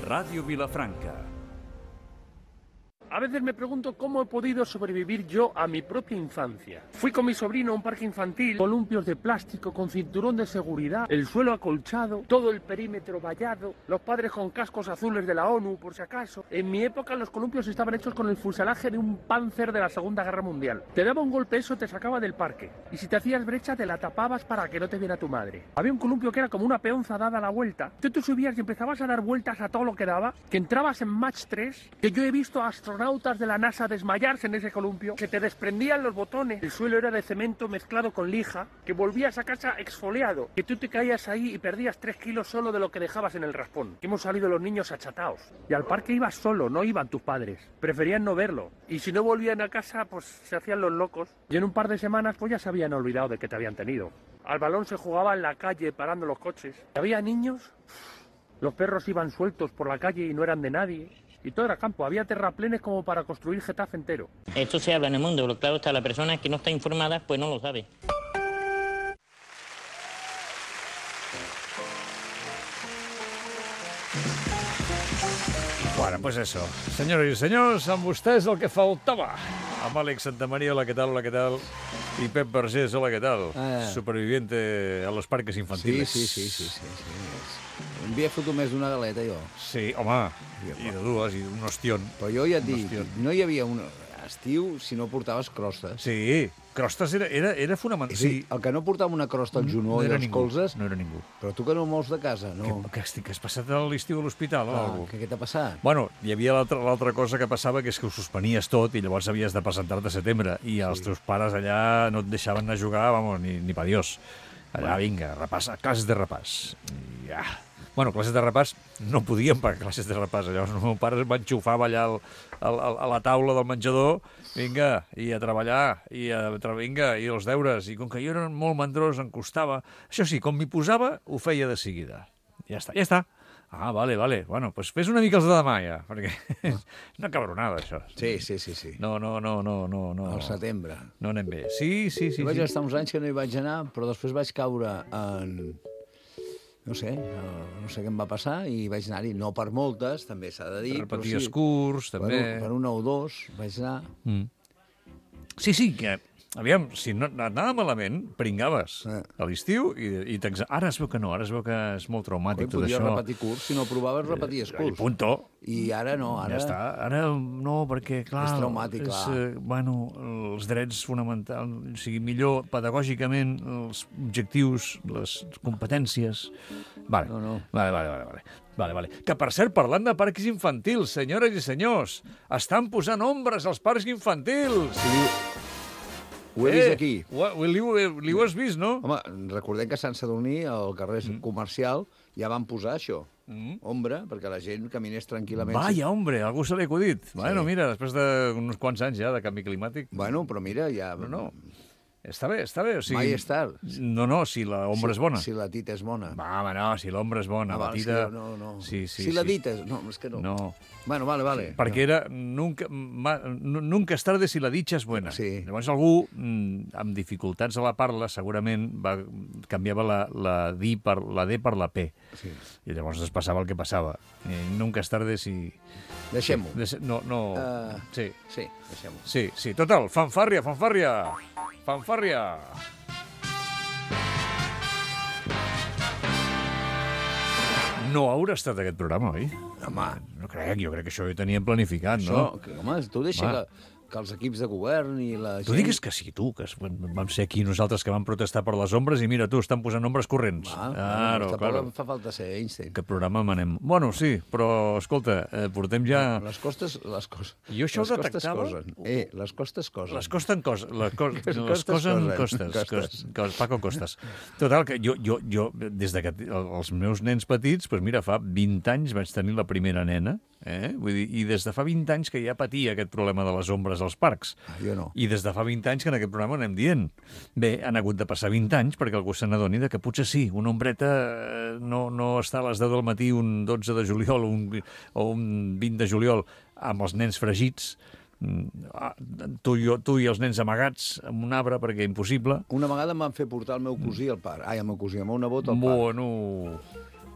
Radio Vilafranca. A veces me pregunto cómo he podido sobrevivir yo a mi propia infancia. Fui con mi sobrino a un parque infantil, columpios de plástico con cinturón de seguridad, el suelo acolchado, todo el perímetro vallado, los padres con cascos azules de la ONU, por si acaso. En mi época los columpios estaban hechos con el fuselaje de un Panzer de la Segunda Guerra Mundial. Te daba un golpe, eso te sacaba del parque. Y si te hacías brecha, te la tapabas para que no te viera tu madre. Había un columpio que era como una peonza dada la vuelta. Tú subías y empezabas a dar vueltas a todo lo que daba, que entrabas en Mach 3, que yo he visto a astronautas de la NASA desmayarse en ese columpio, que te desprendían los botones, el suelo era de cemento mezclado con lija, que volvías a casa exfoliado, que tú te caías ahí y perdías 3 kilos solo de lo que dejabas en el raspón, que hemos salido los niños achatados, y al parque ibas solo, no iban tus padres, preferían no verlo, y si no volvían a casa pues se hacían los locos, y en un par de semanas pues ya se habían olvidado de que te habían tenido. Al balón se jugaba en la calle parando los coches, había niños, los perros iban sueltos por la calle y no eran de nadie. Y todo era campo, había terraplenes como para construir Getafe entero. Esto se habla en el mundo, pero claro está, la persona que no está informada pues no lo sabe. Bueno, pues eso. Senyores i senyors, amb vostès el que faltava. Amb Àlex Santamaría, hola, ¿qué tal? Hola, ¿qué tal? Y Pep Vergés, hola, ¿qué tal? Superviviente a los parques infantiles. Sí. Em havia fotut més d'una galeta, jo. Sí, home, i de dues, i un ostión. Però jo ja et dic, no hi havia un estiu si no portaves crostes. Sí, crostes era fonamental. Sí, el que no portava una crosta al genoll i als colzes... No era ningú. Però tu que no mous de casa, no? Que has passat l'estiu a l'hospital o alguna cosa? Què t'ha passat? Bueno, hi havia l'altra cosa que passava, que és que ho suspenies tot i llavors havies de presentar-te a setembre i els teus pares allà no et deixaven anar a jugar, vamos, ni pa Dios. Allà, vinga, repàs, classes de repàs. I ja... Bueno, classes de repàs no podíem pagar classes de repàs. Llavors el meu pare m'enxufava allà a la taula del menjador, vinga, i a treballar, i els deures. I com que jo era molt mandrós, em costava. Això sí, com m'hi posava, ho feia de seguida. Ja està. Ah, vale. Bueno, doncs fes una mica els de demà, ja, perquè és una cabronada, això. Sí. No. Al setembre. No anem bé. Sí. Vaig estar uns anys que no hi vaig anar, però després vaig caure en... No sé què em va passar i vaig anar-hi, no per moltes, també s'ha de dir. Repeties curs, també. Per una o dos vaig anar. Sí, que... Aviam, si no anava malament, pringaves a l'estiu i ara es veu que no, ara es veu que és molt traumàtic tot això. Podies repetir curs, si no provaves repeties curs. I punto. I ara no, ara... Ja està, ara no, perquè clar... És traumàtic, clar. Bueno, els drets fonamentals, o sigui, millor pedagògicament, els objectius, les competències... Vale. Vale. Que, per cert, parlant de parcs infantils, senyores i senyors, estan posant ombres als parcs infantils! Sí. Ho he vist aquí. Li ho has vist, no? Home, recordem que a Sant Sadurní, al carrer comercial, ja van posar això, ombra, perquè la gent caminés tranquil·lament. Vaya, hombre, algú se l'ha acudit. Sí. Bueno, mira, després d'uns quants anys ja de canvi climàtic... Bueno, però mira, ja... No. Està bé, o sigui... Mai és tard. No, si l'ombra és bona. Si la tita és bona. Va, home, no, si l'ombra és bona, la tita... No. Sí. Si la dita és... No, és que no. No. Bueno, vale. Perquè era... Nunca es tarde si la dicha és buena. Sí. Llavors algú, amb dificultats a la parla, segurament canviava la D per la P. Sí. I llavors es passava el que passava. Nunca es tarde si... Deixem-ho. No. Sí, deixem-ho. Sí, total, fanfàrria. No haurà estat aquest programa, oi? Home. No crec, jo crec que això ho teníem planificat, no? Home, tu deixa que els equips de govern i la gent... Tu digues que sí, tu, que vam ser aquí nosaltres que vam protestar per les ombres i mira, tu, estan posant ombres corrents. Claro. Fa falta ser Einstein. Que programa manem. Bueno, sí, però, escolta, portem ja... Les costes... Jo això ho detectava... Les costes cosen. Les costen coses. Les cosen costes. Paco Costes. Total, que jo des que els meus nens petits, doncs mira, fa 20 anys vaig tenir la primera nena, vull dir, i des de fa 20 anys que ja patia aquest problema de les ombres als parcs. Jo no. I des de fa 20 anys que en aquest programa anem dient. Bé, han hagut de passar 20 anys perquè algú se n'adoni que potser sí, una ombreta no està a les 10 del matí un 12 de juliol o un 20 de juliol amb els nens fregits, tu i els nens amagats en un arbre perquè impossible. Una vegada em van fer portar el meu cosí al parc. El meu nebot al parc. Bueno...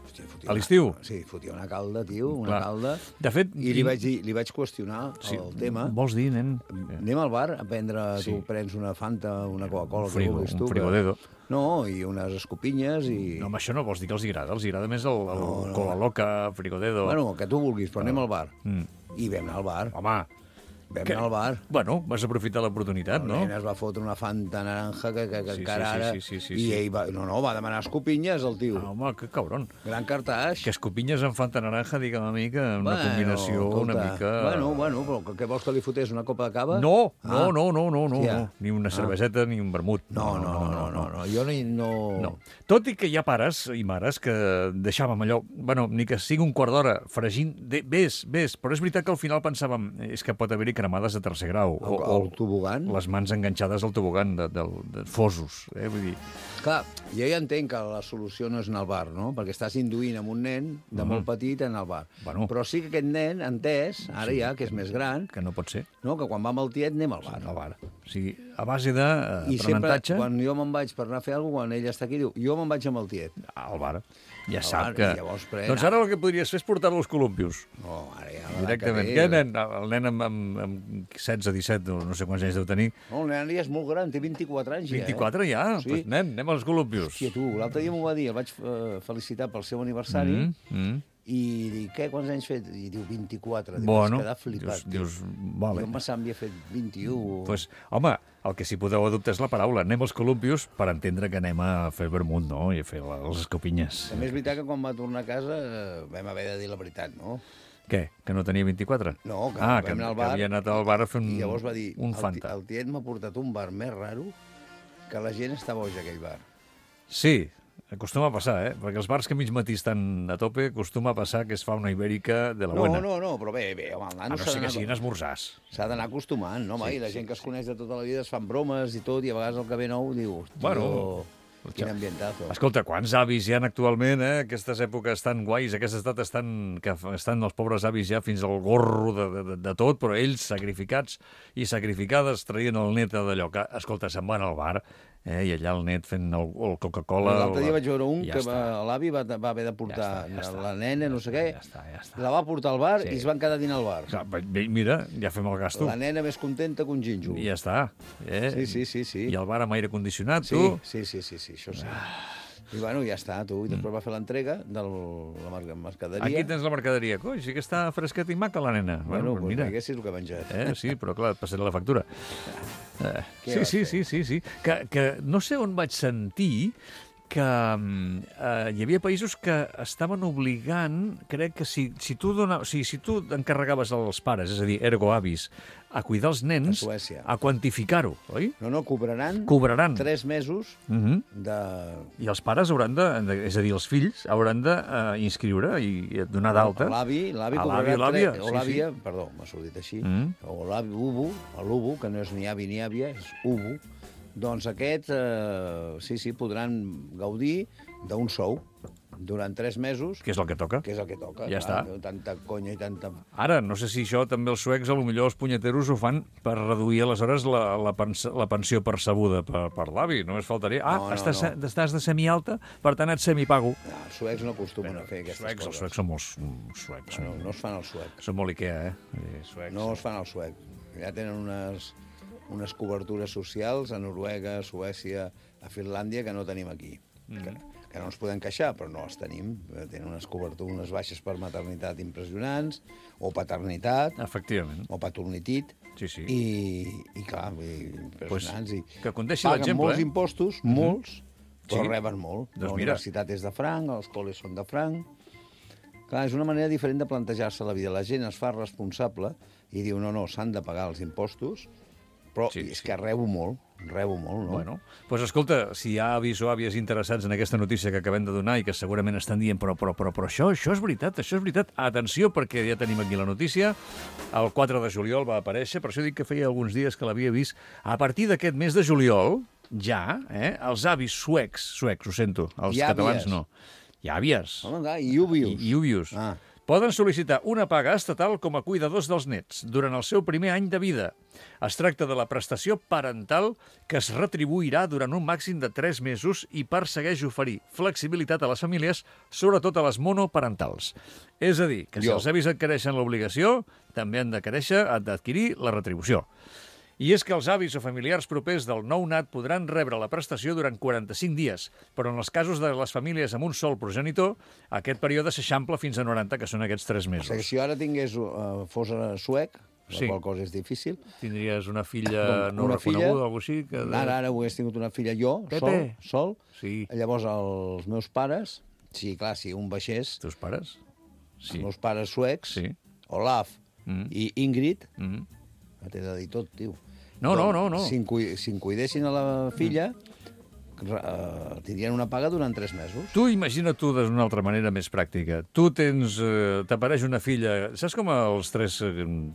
Hòstia, A l'estiu? Sí, fotia una calda, tio, una Clar. calda. De fet... I li vaig dir, li vaig qüestionar el tema. Vols dir, nen? Anem al bar a prendre, Sí. tu prens una Fanta, una Coca-Cola, que vulguis tu. Un frigodedo. No, i unes escopinyes i... No, amb això no vols dir que els agrada més el cola loca, frigodedo... Bueno, el que tu vulguis, però anem al bar. Mm. I vam anar al bar. Home, Vam anar al bar. bueno, vas aprofitar l'oportunitat, no? El nen es va fotre una Fanta naranja que Sí, encara sí, ara... sí, I ell va... No, va demanar escopinyes, el tio. Ah, home, que cabron. Gran cartaix. Que escopinyes amb Fanta naranja, digue'm a mi, que una combinació escolta, una mica... Bueno, però què vols que li fotés, una copa de cava? No, Ah. no. Hòstia. Ni una cerveseta ni un vermut. No. Jo no... No. Tot i que hi ha pares i mares que deixàvem allò, bueno, ni que sigui un quart d'hora fregint, vés, però és veritat que al final pensàvem és que pot haver-hi cremades de tercer grau. El tobogan? Les mans enganxades al tobogan de fosos. Vull dir, Clar, jo ja entenc que la solució no és anar al bar, no? Perquè estàs induint amb un nen de molt petit a anar al bar. Bueno. Però sí que aquest nen, entès, ara ja, que és més gran, que no pot ser. no? Que quan va amb el tiet anem al bar. Al bar. O sigui, a base I sempre, d'aprenentatge, quan jo me'n vaig per anar a fer alguna cosa, quan ell està aquí, diu, jo me'n vaig amb el tiet. al bar. Ja Al sap bar, que... i llavors Doncs ara el que podries fer és portar-lo als columpios. No, ara ja... l'edat Directament. que Què, té- nen? El nen amb 16, 17, no sé quants anys deu tenir. No, el nen ja és molt gran, té 24 anys 24 ja? Sí. Pues, nen, anem als columpios. Hòstia, tu, l'altre dia m'ho va dir, el vaig felicitar pel seu aniversari, Mm. i dic, què, quants anys fet? I diu, 24. Diu, Bueno, vas quedar flipat. dius, Jo vale. em pensava que havia fet 21. Pues, home, el que sí podeu adoptar és la paraula. Anem als columpios per entendre que anem a fer vermut, no? I a fer les escopinyes. També és veritat que quan va tornar a casa vam haver de dir la veritat, no? Què? Que no tenia 24? No, que que, vam anar al que bar havia anat al bar a fer I llavors va dir, un Fanta. el tiet m'ha portat un bar més raro que la gent està boja, aquell bar. Sí, acostuma a passar, perquè els bars que mig matí estan a tope acostuma a passar que es fa una ibèrica de la buena. No, però bé, home, el A nano no ser que siguin esmorzars. s'ha d'anar acostumant, no, home? I la gent que es coneix de tota la vida es fan bromes i tot, i a vegades el que ve nou diu, hòstia, Bueno, quin ambientazo. Escolta, quants avis hi ha actualment, aquestes èpoques tan guais, aquestes dates que estan els pobres avis ja fins al gorro de tot, però ells sacrificats i sacrificades traient el net d'allò que, escolta, se'n van al bar, i allà el net fent el Coca-Cola... L'altre dia vaig veure un ja que està. l'avi va haver de portar Ja està. la nena, no sé què, Ja està. la va portar al bar Sí. i es van quedar a dinar al bar. Clar, bé, mira, ja fem el gasto. La nena més contenta que un gínjol. I ja està. Sí. I el bar amb aire condicionat, Sí, tu? sí, això sí. I bueno, ja està, tu. I després va fer l'entrega de la mercaderia. Aquí tens la mercaderia. Coi, sí que està fresqueta i maca la nena. Bueno, pues doncs mira. haguessis el que ha menjat. Sí, però clar, et passaré la factura. Què vas Sí. Que no sé on vaig sentir que hi havia països que estaven obligant, crec que si tu encarregaves als pares, és a dir, ergo avis, a cuidar els nens, A Suècia. a quantificar-ho, oi? No, cobraran Cobraran. 3 mesos Mhm. de... I els pares hauran és a dir, els fills hauran d'inscriure i donar d'alta. L'avi A cobrarà... l'àvia, o sí, l'àvia, perdó, m'ha sortit així, o l'avi ubu, l'ubu, que no és ni avi ni àvia, és ubu, doncs aquests, sí, podran gaudir d'un sou durant 3 mesos, Que és el que toca. que és el que toca. Ja clar, està. Tanta conya i tanta... Ara, no sé si això també els suecs, potser els punyeteros ho fan per reduir aleshores la pensió percebuda per l'avi. Només faltaria... No, estàs de semialta, per tant et semipago. No, els suecs no acostumen a fer aquestes Els coses. suecs són molt suecs. No es fan al suec. Són molt Ikea, suecs. No es fan al suec. Ja tenen unes cobertures socials a Noruega, a Suècia, a Finlàndia, que no tenim aquí. Que no ens podem queixar, però no les tenim. Tenen unes cobertures, unes baixes per maternitat impressionants, o paternitat, Efectivament. o paternitit, Sí. i clar, impressionants. I que condeixi paguen l'exemple, molts impostos, molts, però Sí. reben molt. Doncs La mira. universitat és de franc, els col·les són de franc. Clar, és una manera diferent de plantejar-se la vida. La gent es fa responsable i diu, no, s'han de pagar els impostos, però Sí, és que rebo molt, no? Bueno, doncs escolta, si hi ha avis o àvies interessats en aquesta notícia que acabem de donar i que segurament estan dient però això és veritat. Atenció, perquè ja tenim aquí la notícia. El 4 de juliol va aparèixer, per això dic que feia alguns dies que l'havia vist. A partir d'aquest mes de juliol, ja, els avis suecs, ho sento, els I àvies. catalans no. I àvies. Home, clar, i úvius. I úvius. Ah. Poden sol·licitar una paga estatal com a cuidadors dels nets durant el seu primer any de vida. Es tracta de la prestació parental que es retribuirà durant un màxim de 3 mesos i persegueix oferir flexibilitat a les famílies, sobretot a les monoparentals. És a dir, que si els avis adquireixen l'obligació, també han d'adquirir la retribució. I és que els avis o familiars propers del nounat podran rebre la prestació durant 45 dies, però en els casos de les famílies amb un sol progenitor, aquest període s'eixampla fins a 90, que són aquests 3 mesos. O sigui, si jo ara fos suec, la qual cosa és difícil... Tindries una filla no reconeguda o alguna cosa així? Ara hagués tingut una filla jo, sol. Sí. Llavors els meus pares, sí, clar, si un baixés... Els teus pares? Sí. Els meus pares suecs, sí. Olaf i Ingrid, t'he de dir tot, tio. No. Si em cuidessin a la filla, tindrien una paga durant 3 mesos. Tu imagina tu d'una altra manera més pràctica. Tu t'apareix una filla... Saps com els 3,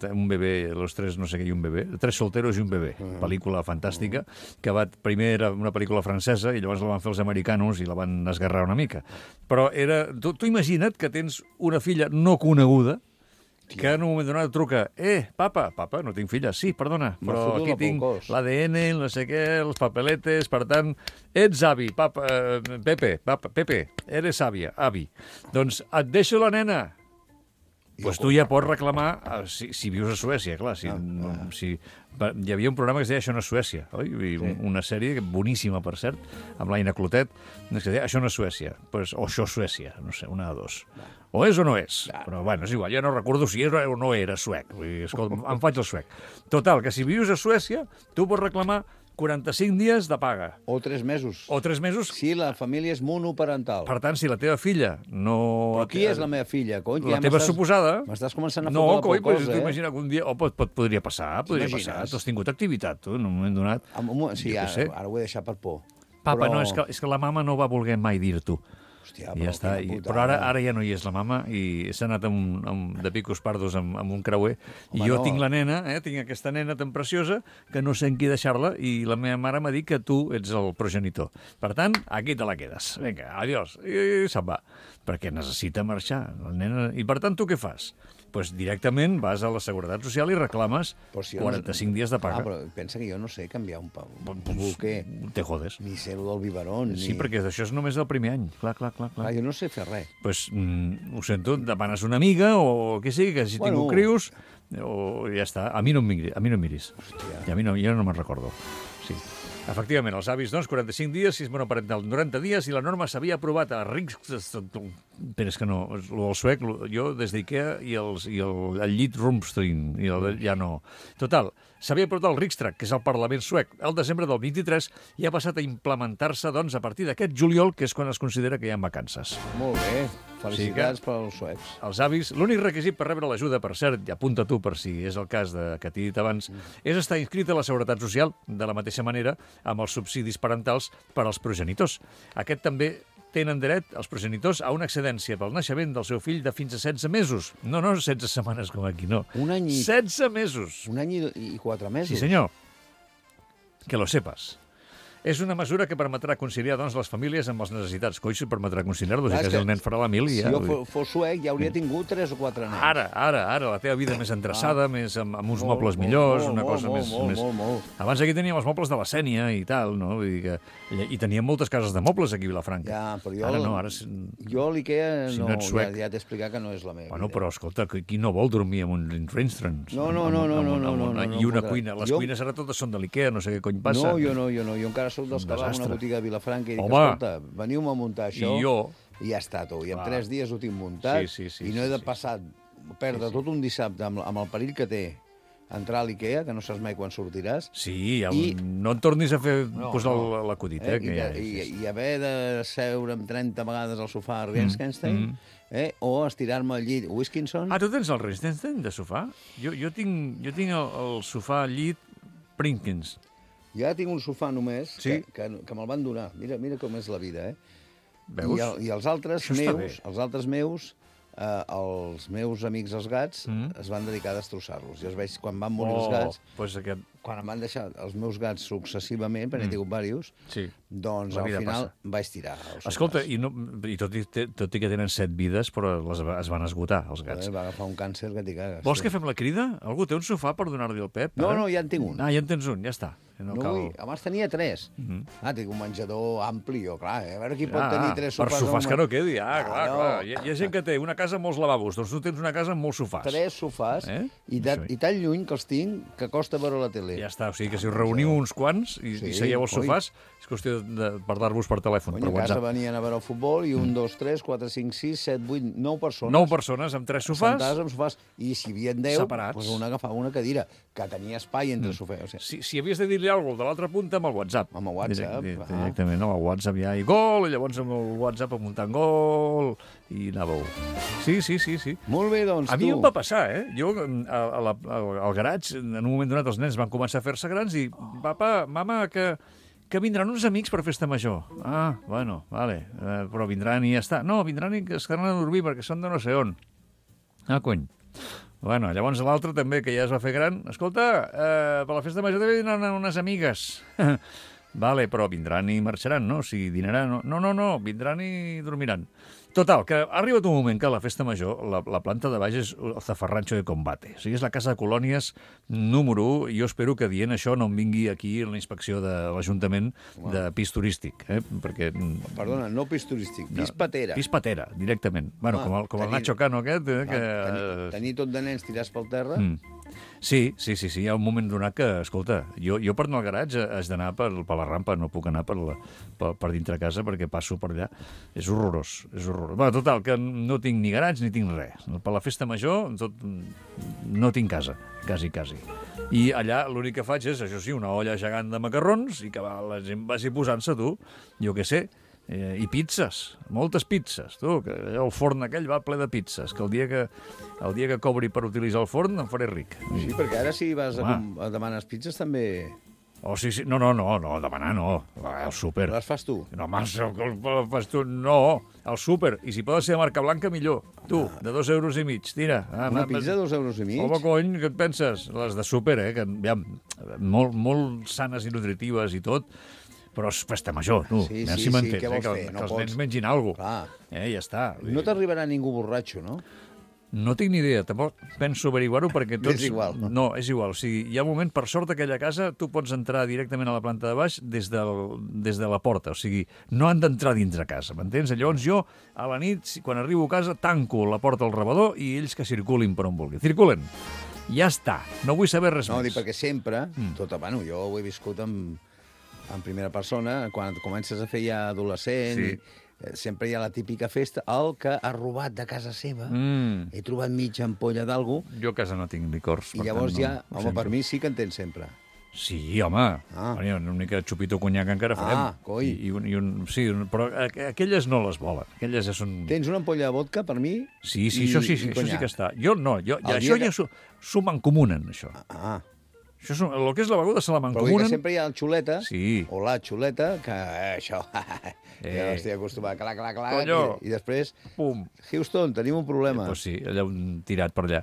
un bebè, los 3 no sé què i un bebè? 3 solteros i un bebè. Pel·lícula fantàstica, que primer era una pel·lícula francesa i llavors la van fer els americanos i la van esgarrar una mica. Però tu imagina't que tens una filla no coneguda que en un moment donat truca, papa, no tinc filla, sí, perdona, però aquí tinc l'ADN, no sé què, els papeletes, per tant, ets avi, papa, Pepe, eres àvia, avi. Doncs et deixo la nena. Doncs tu ja pots reclamar, si vius a Suècia, clar, hi havia un programa que es deia Això no és Suècia, oi? Una sèrie boníssima, per cert, amb l'Aina Clotet, que es deia Això no és Suècia, o Això és Suècia, no sé, una de dos. O és o no és, però bueno, és igual, ja no recordo si és o no era suec, escolta, em faig el suec. Total, que si vius a Suècia, tu pots reclamar 45 dies de paga. O 3 mesos. O 3 mesos. Si la família és monoparental. Per tant, si la teva filla no... Però qui és la meva filla, cony? La teva suposada... M'estàs començant a fotre la por cosa, No, cony, t'imagina que un dia... Podria passar. Tu has tingut activitat, tu, en un moment donat. Sí, ara ho he deixat per por. Papa, no, és que la mama no va voler mai dir-t'ho. Hòstia, ja està. Però ara ja no hi és la mama i s'ha anat de picos pardos amb un creuer. I jo tinc la nena, tinc aquesta nena tan preciosa que no sé en qui deixar-la i la meva mare m'ha dit que tu ets el progenitor. Per tant, aquí te la quedes. Vinga, adiós. I se'n va. Perquè necessita marxar la nena. I per tant, tu què fas? Doncs directament vas a la Seguretat Social i reclames 45 dies de paga. Però pensa que jo no sé canviar un bolquer. Te jodes. Ni ser-ho del biberón. Sí, perquè això és només del primer any. Clar. Jo no sé fer res. Doncs, ho sento, demanes una amiga o què sigui, que si tinc crius, o ja està. A mi no em miris. Hòstia. I a mi jo no me'n recordo. Sí. Efectivament, els avis, doncs, 45 dies, si és monoparental, 90 dies, i la norma s'havia aprovat a Però és que no, el suec, jo des d'Ikea i el llit Rumstrin, ja no. Total, s'havia aprovat el Riksdag, que és el Parlament suec, el desembre del 23, i ha passat a implementar-se, doncs, a partir d'aquest juliol, que és quan es considera que hi ha vacances. Molt bé. Felicitats pels suecs. Els avis, l'únic requisit per rebre l'ajuda, per cert, i apunta tu per si és el cas que t'he dit abans, és estar inscrit a la Seguretat Social, de la mateixa manera, amb els subsidis parentals per als progenitors. Aquest també tenen dret, els progenitors, a una excedència pel naixement del seu fill de fins a 16 mesos. No 16 setmanes com aquí, no. Un any 16 mesos. Un any i 4 mesos. Sí, senyor. Que lo sepas. És una mesura que permetrà conciliar, doncs, les famílies amb les necessitats. Coi, si permetrà conciliar-los, i que el nen farà la mil i ja... Si jo fos suec, ja hauria tingut 3 o 4 nens. Ara, la teva vida més endreçada, més amb uns mobles millors, una cosa més... Molt. Abans aquí teníem els mobles de la Sènia i tal, no? Vull dir que... I teníem moltes cases de mobles aquí a Vilafranca. Ja, però jo... Ara no, ara... Jo l'Ikea si no ets suec... ja t'he explicat que no és la meva vida. Bueno, però escolta, qui no vol dormir amb un Rinstrans? No. I una cuina. Les cuines ara totes són de l'Ikea, no sé què cony passa. No, jo encara soc dels que va a una botiga de Vilafranca i dic, escolta, veniu-me a muntar això i ja està, tu. I en 3 dies ho tinc muntat i no he de perdre tot un dissabte amb el perill que té entrar a l'Ikea, que no saps mai quan sortiràs. Sí, no en tornis a posar l'acudit. I haver de seure amb 30 vegades al sofà a Rienkenstein, o estirar-me al llit Wiskinson. Ah, tu tens el Rienkenstein de sofà? Jo tinc el sofà al llit Prinkins. Ja tinc un sofà només, que me'l van donar. Mira com és la vida, Veus? I els altres meus els meus amics els gats es van dedicar a destrossar-los. Jo els veig, quan van morir els gats, Pues aquest... quan em van deixar els meus gats successivament, perquè n'he tingut diversos, Sí. doncs La al vida final passa. vaig tirar els Escolta, sofàs. i tot i que tenen 7 vides, però es van esgotar, els gats. Va agafar un càncer que t'hi cagues. Vols que fem la crida? Algú té un sofà per donar-li al Pep? No, ara? no, ja en tinc un. Ah, ja en tens un, ja està. No cal... Vull... Abans tenia 3. Tinc un menjador ampli, jo, clar. A veure qui pot Ah, tenir 3 per sofàs. sofàs que no quedi, Ah, clar, no. clar. Hi ha gent que té una casa amb molts lavabos, doncs tu tens una casa amb molts sofàs. 3 sofàs, i tan lluny que els tinc que costa veure la tele. Ja està, o sigui que si us reuniu uns quants i seieu als sofàs, és qüestió de parlar-vos per telèfon, per A casa WhatsApp. venien a veure el futbol i 1, 2, 3, 4, 5, 6, 7, 8, 9 persones. 9 persones amb 3 sofàs. Sentades amb sofàs. I si hi havia 10, Separats. doncs un agafava una cadira, que tenia espai entre sofàs. O sigui, Si havies de dir-li alguna cosa de l'altra punta, amb el WhatsApp. Amb el WhatsApp, Directament, no, el WhatsApp ja, i gol, i llavors amb el WhatsApp amuntant gol, i anàveu. Sí. molt bé, doncs, A mi tu. em va passar, Jo, al garatge, en un moment donat, els nens van començar a fer-se grans i, papa, mama, que vindran uns amics per festa major. Ah, bueno, vale, però vindran i ja està. No, vindran i es quedaran a dormir perquè són de no sé on. Ah, cony. Bueno, llavors l'altre també, que ja es va fer gran. Escolta, per la festa major també vindran unes amigues. Vale, però vindran i marxaran, no? O sigui, dinaran... No, vindran i dormiran. Total, que ha arribat un moment que a la festa major la planta de baix és el zafarrancho de combate. O sigui, és la casa de colònies número 1, i jo espero que dient això no em vingui aquí la inspecció de l'Ajuntament de pis turístic, perquè... Perdona, no pis turístic, pis patera. Pis patera, directament. Bueno, com el Nacho Cano aquest, que... Tenir tot de nens tirats pel terra... Sí, hi ha un moment donat que, escolta, jo per anar al garatge has d'anar per la rampa, no puc anar per dintre casa perquè passo per allà. És horrorós, és horrorós. Bé, total, que no tinc ni garatge ni tinc res. Per la festa major no tinc casa, quasi. I allà l'únic que faig és, això sí, una olla gegant de macarrons i que la gent vagi posant-se, tu, jo què sé, i pizzas, moltes pizzas, tu, que el forn aquell va ple de pizzas, que el dia que cobri per utilitzar el forn em faré ric. Sí, perquè ara si vas a demanar pizzas també... Oh, sí, no, demanar no, al súper. Les fas tu? No, el fas tu, no, al súper, i si poden ser de marca blanca, millor. Tu, de 2,5 €, tira. Una pizza de 2,5 €? Home, cony, què et penses? Les de súper, que aviam, molt sanes i nutritives i tot, però és festa major, tu. Sí, si m'entens, què vols que fer? No els pots. nens mengin alguna Clar. cosa. Ja està. No t'arribarà ningú borratxo, no? No tinc ni idea, tampoc penso averiguar-ho perquè tots... És igual. No, és igual. O sigui, hi ha un moment, per sort, aquella casa, tu pots entrar directament a la planta de baix des de la porta. O sigui, no han d'entrar dintre casa, m'entens? Llavors jo, a la nit, quan arribo a casa, tanco la porta al rebedor i ells que circulin per on vulguin. Circulen. Ja està. No vull saber res No, més. dic perquè sempre, bueno, jo ho he viscut en primera persona, quan comences a fer ja adolescent, Sí. sempre hi ha la típica festa, el que ha robat de casa seva, he trobat mitja ampolla d'algú, Jo a casa no tinc licors. i per llavors tant, ja, no, home, per mi sí que en tens sempre. Sí, home. Ah. Una mica de xupito conyac encara farem. Ah, coi. Sí, però aquelles no les volen. Aquelles ja són... Tens una ampolla de vodka, per mi? Sí, això sí que està. Jo no, això ja s'ho mancomunen, això. Ah, Això el que és la beguda se la però vull dir mancomunen. que sempre hi ha el xuleta, Sí. o la xuleta, que això, ja estic acostumat, clac, Conyo. i després, Pum. Houston, tenim un problema. Pues sí, allà un tirat per allà.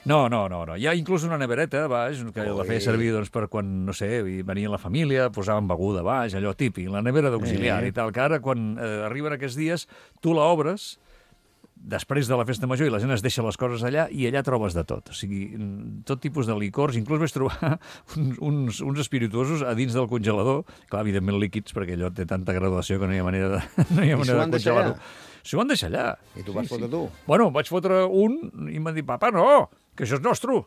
No. Hi ha inclús una nevereta, baix, que la feia servir doncs, per quan, no sé, venia la família, posaven beguda baix, allò típic, la nevera d'auxiliar i tal, que ara, quan arriben aquests dies, tu la obres després de la festa major i la gent es deixa les coses allà i allà trobes de tot. O sigui, tot tipus de licors. Inclús vaig trobar uns espirituosos a dins del congelador, clar, evidentment líquids, perquè allò té tanta graduació que no hi ha manera de congelar-ho. S'ho van deixar allà. I tu vas fotre tu? Bueno, vaig fotre un i em van dir, papa, no, que això és nostre.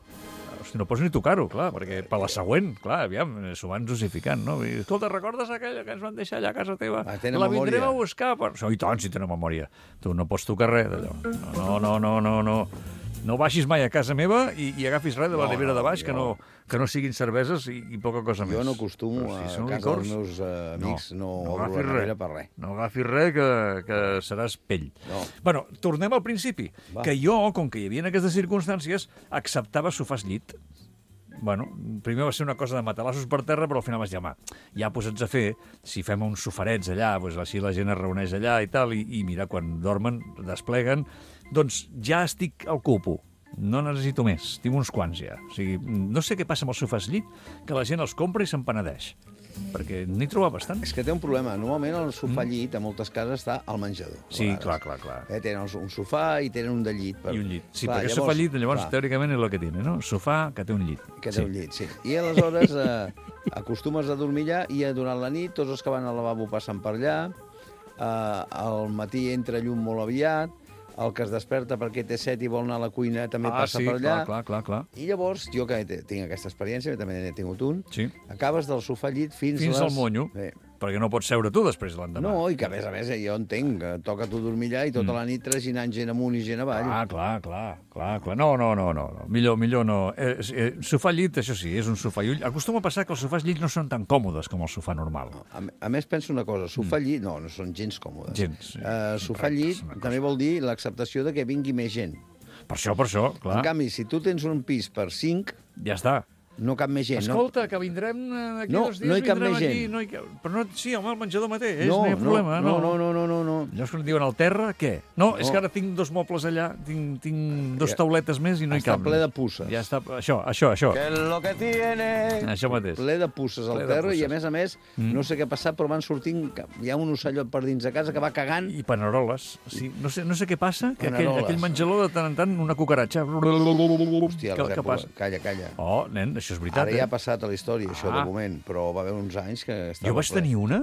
Hosti, no pots ni tocar-ho, clar, perquè per la següent, clar, aviam, s'ho van justificant, no? I, escolta, recordes aquella que ens van deixar allà a casa teva? Tenen La memòria. vindrem a buscar. I tant, si tenen memòria. Tu no pots tocar res d'allò. No. No baixis mai a casa meva i agafis res de la nevera de baix, que no siguin cerveses i poca cosa més. Jo no acostumo Però a si són casa licors, dels meus amics, no obro agafis la nevera per res. No agafis res, que seràs pell. No. Bueno, tornem al principi. Va. Que jo, com que hi havia aquestes circumstàncies, acceptava sofàs llit. bueno, primer va ser una cosa de matalassos per terra, però al final vaig dir, home, ja posats a fer, si fem uns sofarets allà, doncs així la gent es reuneix allà i tal, i mira, quan dormen, despleguen, doncs ja estic al cupo. No necessito més, tinc uns quants ja. O sigui, no sé què passa amb els sofàs llit, que la gent els compra i se'n penedeix. Perquè n'hi troba bastant. És que té un problema. Normalment el sofà llit a moltes cases està al menjador. Sí, clar. Tenen un sofà i tenen un de llit. I un llit. Sí, perquè llavors, sofà llit, llavors, teòricament, és el que tiene, no? Sofà que té un llit. Que té un llit, sí. I aleshores acostumes a dormir allà i durant la nit tots els que van al lavabo passen per allà, al matí entra llum molt aviat, el que es desperta perquè té set i vol anar a la cuina també passa per allà. Clar. I llavors, jo que tinc aquesta experiència, també n'he tingut un, acabes del sofà llit fins al monyo, perquè no pots seure tu després l'endemà. No, i que a més jo entenc, que toca tu dormir allà i tota la nit traginant gent amunt i gent avall. Clar. No. Millor no. Sofà llit, això sí, és un sofà. Acostuma a passar que els sofàs llit no són tan còmodes com el sofà normal. A més, penso una cosa, sofà llit, no són gens còmodes. Sofà llit també vol dir l'acceptació de que vingui més gent. Per això, clar. En canvi, si tu tens un pis per 5... Ja està. No cap més gent. Escolta, que vindrem d'aquí 2 dies, no hi cap més gent. Però no, sí, home, el menjador mateix, no hi ha problema. No. Llavors, quan diuen al terra, què? No, és que ara tinc 2 mobles allà, tinc 2 tauletes més i no hi cap. Està ple de pusses. Ja està, això. Que lo que tiene... Això mateix. Ple de pusses al terra i, a més, no sé què ha passat, però van sortint... Hi ha un ocellot per dins de casa que va cagant... I paneroles. Sí, no sé què passa, que aquell menjador de tant en tant, una cucaratxa... Hòstia, calla. Oh, nen, això és veritat. Ara ja ha passat a la història, això, de moment, però va haver uns anys que... Jo vaig tenir una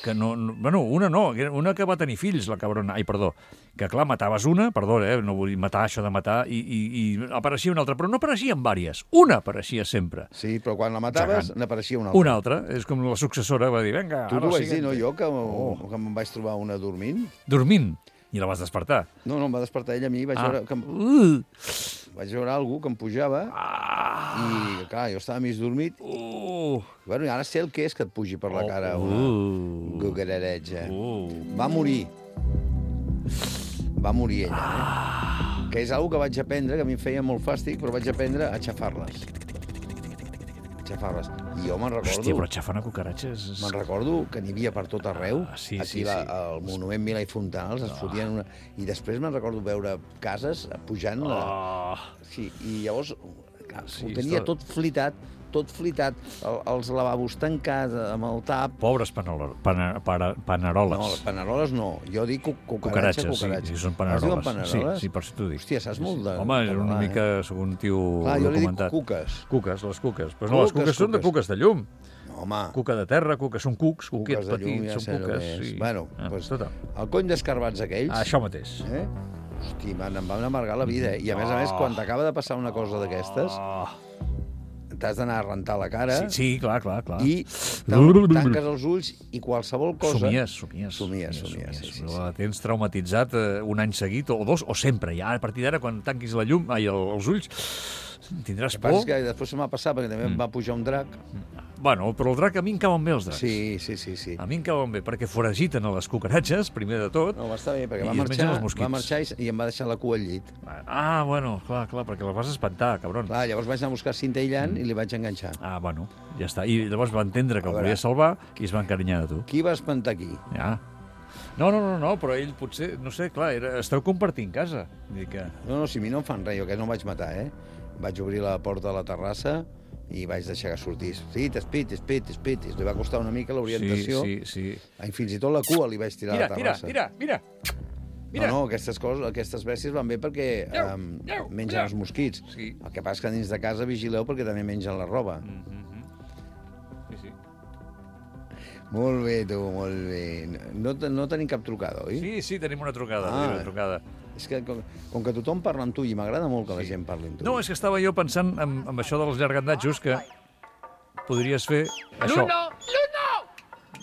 que una que va tenir fills, la cabrona. Ai, perdó. Que, clar, mataves una, perdó, no vull matar això de matar, i apareixia una altra, però no apareixien vàries. Una apareixia sempre. Sí, però quan la mataves, n'apareixia una altra. Una altra. És com la successora, va dir, vinga... Tu t'ho vaig dir, no? Jo, que em vaig trobar una dormint. Dormint? I la vas despertar? No, em va despertar ella a mi, vaig veure que vaig veure algú que em pujava i, clar, jo estava mig dormit. Bueno, i ara sé el que és que et pugi per la cara una cucararetxa. Va morir. Va morir ella, Que és algo que vaig aprendre, que a mi em feia molt fàstic, però vaig aprendre a xafar-les. I jo me'n recordo... Hòstia, però xafar una cucaratxa és... Me'n recordo que n'hi havia per tot arreu. Aquí al monument Milà i Fontals es fotien una... I després me'n recordo veure cases pujant... Sí, i llavors ho tenia tot flitat, els lavabos tancats amb el tap... Pobres paneroles. No, paneroles no. Jo dic cucaratxa. Sí, són paneroles. Es diuen paneroles? Sí, per això t'ho dic. Hòstia, saps molt de... Home, és una mica, segur, un tio documentat. Jo li dic cuques. Les cuques. Però no, les cuques són de cuques de llum. No, home. Cuca de terra, són cucs, cuquets petits, són cuques. Bueno, doncs el cony d'escarbats aquells... Això mateix. Hosti, em van amargar la vida. I a més, quan t'acaba de passar una cosa d'aquestes... T'has d'anar a rentar la cara... Sí, clar. I tanques els ulls i qualsevol cosa... Somies. La tens traumatitzat un any seguit, o 2, o sempre. Ja, a partir d'ara, quan tanquis la llum, els ulls, tindràs por. El que passa és que després se m'ha passat, perquè també em va pujar un drac. Bueno, però el drac a mi em cauen bé, els dracs. Sí. A mi em cauen bé, perquè foragiten a les cucaratges, primer de tot. No, va estar bé, perquè va marxar i em va deixar la cua al llit. Bueno, clar, perquè la vas espantar, cabron. Clar, llavors vaig anar a buscar cinta aïllant i li vaig enganxar. Bueno, ja està. I llavors va entendre que el volia salvar i es va encarinyar de tu. Qui va espantar qui? Ja. No, però ell potser, no sé, clar, esteu compartint casa. No, si a mi no em fan res, jo que no em vaig matar, Vaig obrir la porta de la terrassa i vaig deixar que sortís. Sí, t'espit. Li va costar una mica l'orientació. Sí. I fins i tot la cua li vaig tirar a la terrassa. Mira. No, aquestes bèsties van bé perquè mengen els mosquits. Sí. El que passa és que dins de casa vigileu perquè també mengen la roba. Sí. Molt bé, tu, molt bé. No tenim cap trucada, oi? Sí, tenim una trucada. És que com que tothom parla amb tu i m'agrada molt que la gent parli amb tu. No, és que estava jo pensant amb això dels llargandatjos que podries fer això. Luno!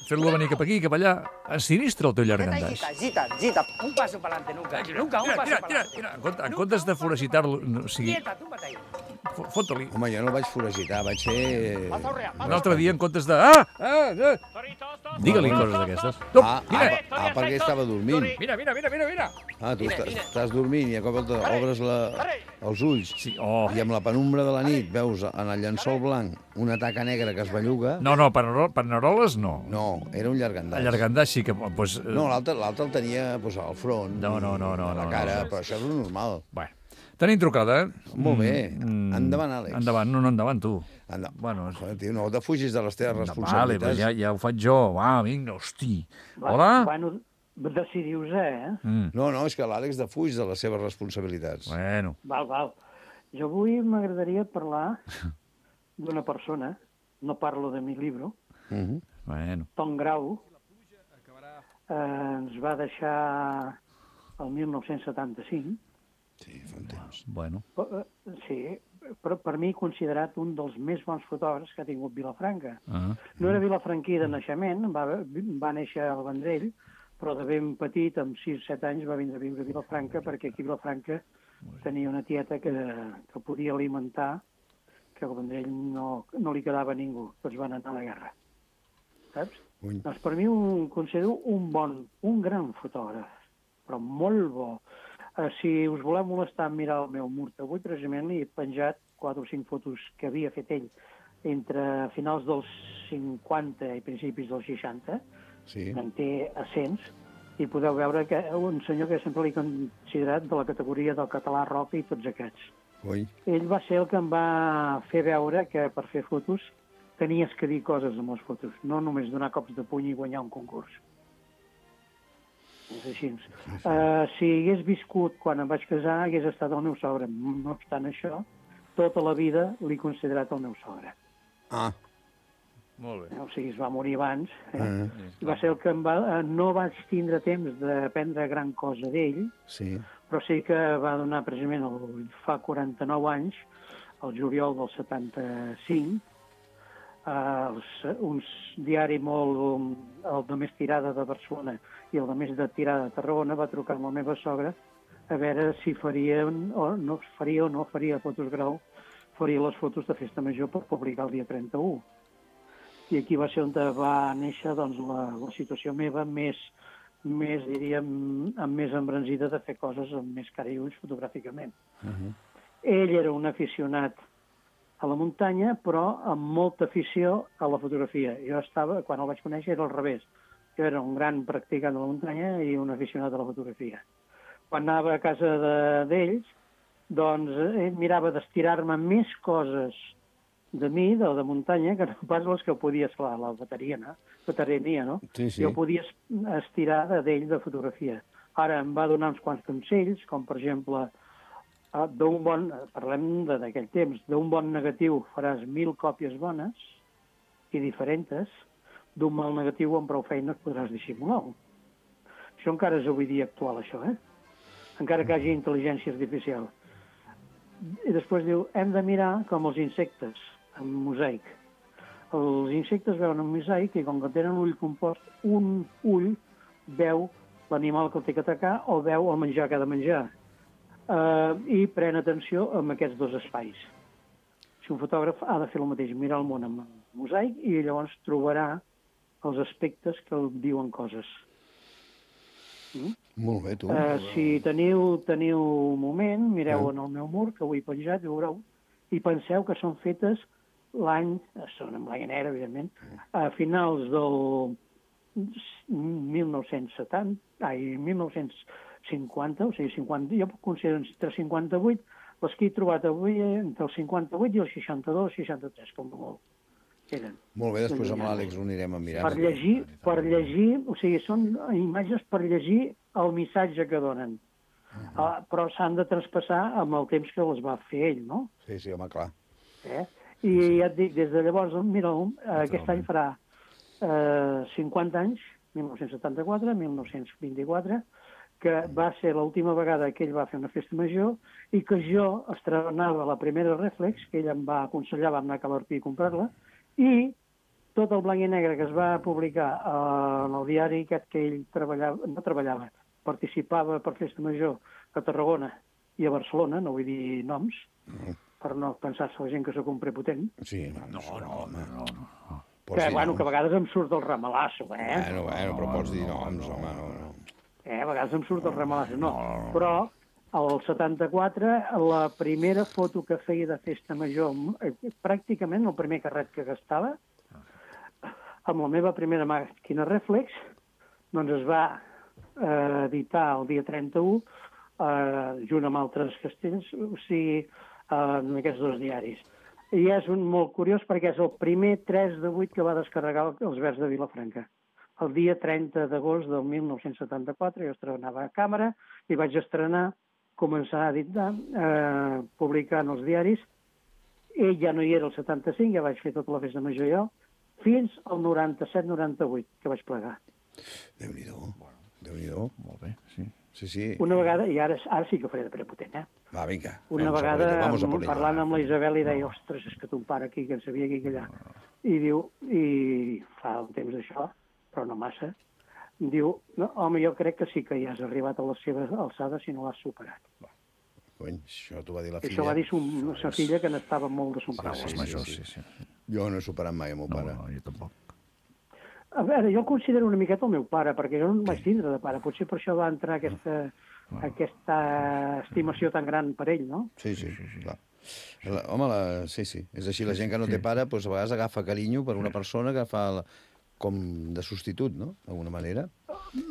Fer-lo venir cap aquí, cap allà. Ensinistra el teu llargandaix. Gita, un paso para adelante, nunca un paso para adelante. En comptes de foragitar-lo, o sigui, Quieta, túmbate ahí. Home, jo no el vaig foragitar, vaig ser... un altre dia en comptes de... Digue-li coses d'aquestes. Perquè estava dormint. Mira. Tu estàs dormint i a cop obres els ulls Sí, i amb la penumbra de la nit veus en el llençol blanc una taca negra que es belluga. No, paneroles no. No, era un llargandàs. El llargandàs sí que... Pues, No, l'altre el tenia al front, No, a la cara, però això és normal. Bueno, tenim trucada, Molt bé. Endavant, Àlex. Endavant tu. Bueno, Joder, tio, no defugis de les teves vale, responsabilitats. però ja ho faig jo. Va, vinga, hosti. Hola? Bueno, decidiu-se, No, és que l'Àlex defuig de les seves responsabilitats. Bueno. Val. Jo avui m'agradaria parlar d'una persona, no parlo de mi llibre, Bueno. Tom Grau, ens va deixar el 1975. Sí, fa un temps. Bueno. Sí, però per mi considerat un dels més bons fotògrafs que ha tingut Vilafranca. No era vilafranquí de naixement, va néixer al Vendrell, però de ben petit, amb 6-7 anys, va vindre a viure a Vilafranca perquè aquí a Vilafranca tenia una tieta que podia alimentar, que al Vendrell no li quedava a ningú, tots van anar a la guerra. Saps? Doncs per mi considero un gran fotògraf, però molt bo. Si us voleu molestar en mirar el meu mur avui, precisament li he penjat 4 o 5 fotos que havia fet ell entre finals dels 50 i principis dels 60, en té a cents, i podeu veure que un senyor que sempre l'he considerat de la categoria del català rock i tots aquests. Ell va ser el que em va fer veure que per fer fotos tenies que dir coses amb les fotos, no només donar cops de puny i guanyar un concurs. És així. Si hagués viscut quan em vaig casar, hagués estat el meu sogre. No obstant això, tota la vida l'he considerat el meu sogre. Molt bé. O sigui, es va morir abans. Va ser el que no vaig tindre temps d'aprendre gran cosa d'ell, però sí que va donar precisament fa 49 anys, el juliol del 75, un diari molt, el de més tirada de Barcelona i el de més de tirada de Tarragona, va trucar amb la meva sogra a veure si faria o no faria fotos Grau, faria les fotos de Festa Major per publicar el dia 31. I aquí va ser on va néixer doncs, la situació meva més diríem, més embranzida de fer coses amb més cara i ulls fotogràficament. Ell era un aficionat a la muntanya, però amb molta afició a la fotografia. Quan el vaig conèixer, era al revés. Jo era un gran practicant de la muntanya i un aficionat a la fotografia. Quan anava a casa d'ells, doncs ell mirava d'estirar-me més coses de mi, de muntanya, que no pas les que podia, esclar, la veterania, no? Jo podia estirar d'ell de fotografia. Ara em va donar uns quants consells, com per exemple, parlem d'aquell temps, d'un bon negatiu faràs 1000 còpies bones i diferents, d'un mal negatiu amb prou feines podràs dissimular-ho. Això encara és avui dia actual, això, encara que hi hagi intel·ligència artificial. I després diu, hem de mirar com els insectes, amb mosaic. Els insectes veuen un mosaic i com que tenen l'ull compost, un ull veu l'animal que el té que atacar o veu el menjar que ha de menjar. I pren atenció amb aquests dos espais. Si un fotògraf ha de fer el mateix, mirar el món amb mosaic i llavors trobarà els aspectes que el diuen coses. Molt bé, tu. Si teniu un moment, mireu en el meu mur, que ho he penjat, i veureu, i penseu que són fetes són en blanc i negre, evidentment, a finals del 1950, o sigui, 50, jo puc considerar entre 58, les que he trobat avui entre el 58 i el 62, 63, com molt. Eren. Molt bé, després amb l'Àlex ho anirem a mirar. Per llegir, o sigui, són imatges per llegir el missatge que donen. Però s'han de traspassar amb el temps que les va fer ell, no? Sí, home, clar. I ja et dic, des de llavors, mira, aquest any farà 50 anys, 1974, 1924, que va ser l'última vegada que ell va fer una festa major i que jo estrenava la primera Reflex, que ell em va aconsellar, vam anar a Calarpí a comprar-la, i tot el blanc i negre que es va publicar en el diari aquest que ell participava per festa major a Tarragona i a Barcelona, no vull dir noms, per no pensar-se la gent que sóc un prepotent. Sí, no. Pots dir bueno, noms. que a vegades em surt el ramalasso, Bueno, però pots dir noms, home, no. A vegades em surt el ramalasso, no. Però al 74, la primera foto que feia de festa major, pràcticament el primer carret que gastava, amb la meva primera màquina reflex, doncs es va editar el dia 31, junt amb altres castells, o sigui, en aquests dos diaris. I és molt curiós perquè és el primer 3 de 8 que va descarregar els Verds de Vilafranca. El dia 30 d'agost del 1974 jo estrenava a càmera i vaig estrenar, començar a editar, publicar en els diaris. Ell ja no hi era el 75, ja vaig fer tota la festa major jo, fins al 97-98, que vaig plegar. Déu-n'hi-do. Molt bé, sí. Sí. Una vegada, i ara sí que ho faré de prepotent, Va, vinga. Una vegada, parlant amb la Isabel, i deia, ostres, és que ton pare aquí, que en sabia aquí, que allà. I diu, i fa un temps d'això, però no massa, diu, no, home, jo crec que sí que ja has arribat a la seva alçada si no l'has superat. Cony, això t'ho va dir la filla. Això va dir sa filla, que n'estava molt de son pare. Els majors, sí. Jo no he superat mai el meu pare. No, jo tampoc. A veure, jo el considero una miqueta el meu pare, perquè jo no em vaig tindre de pare. Potser per això va entrar aquesta estimació tan gran per ell, no? Sí, clar. Home, sí, és així. La gent que no té pare, doncs a vegades agafa carinyo per una persona que fa com de substitut, no?, d'alguna manera.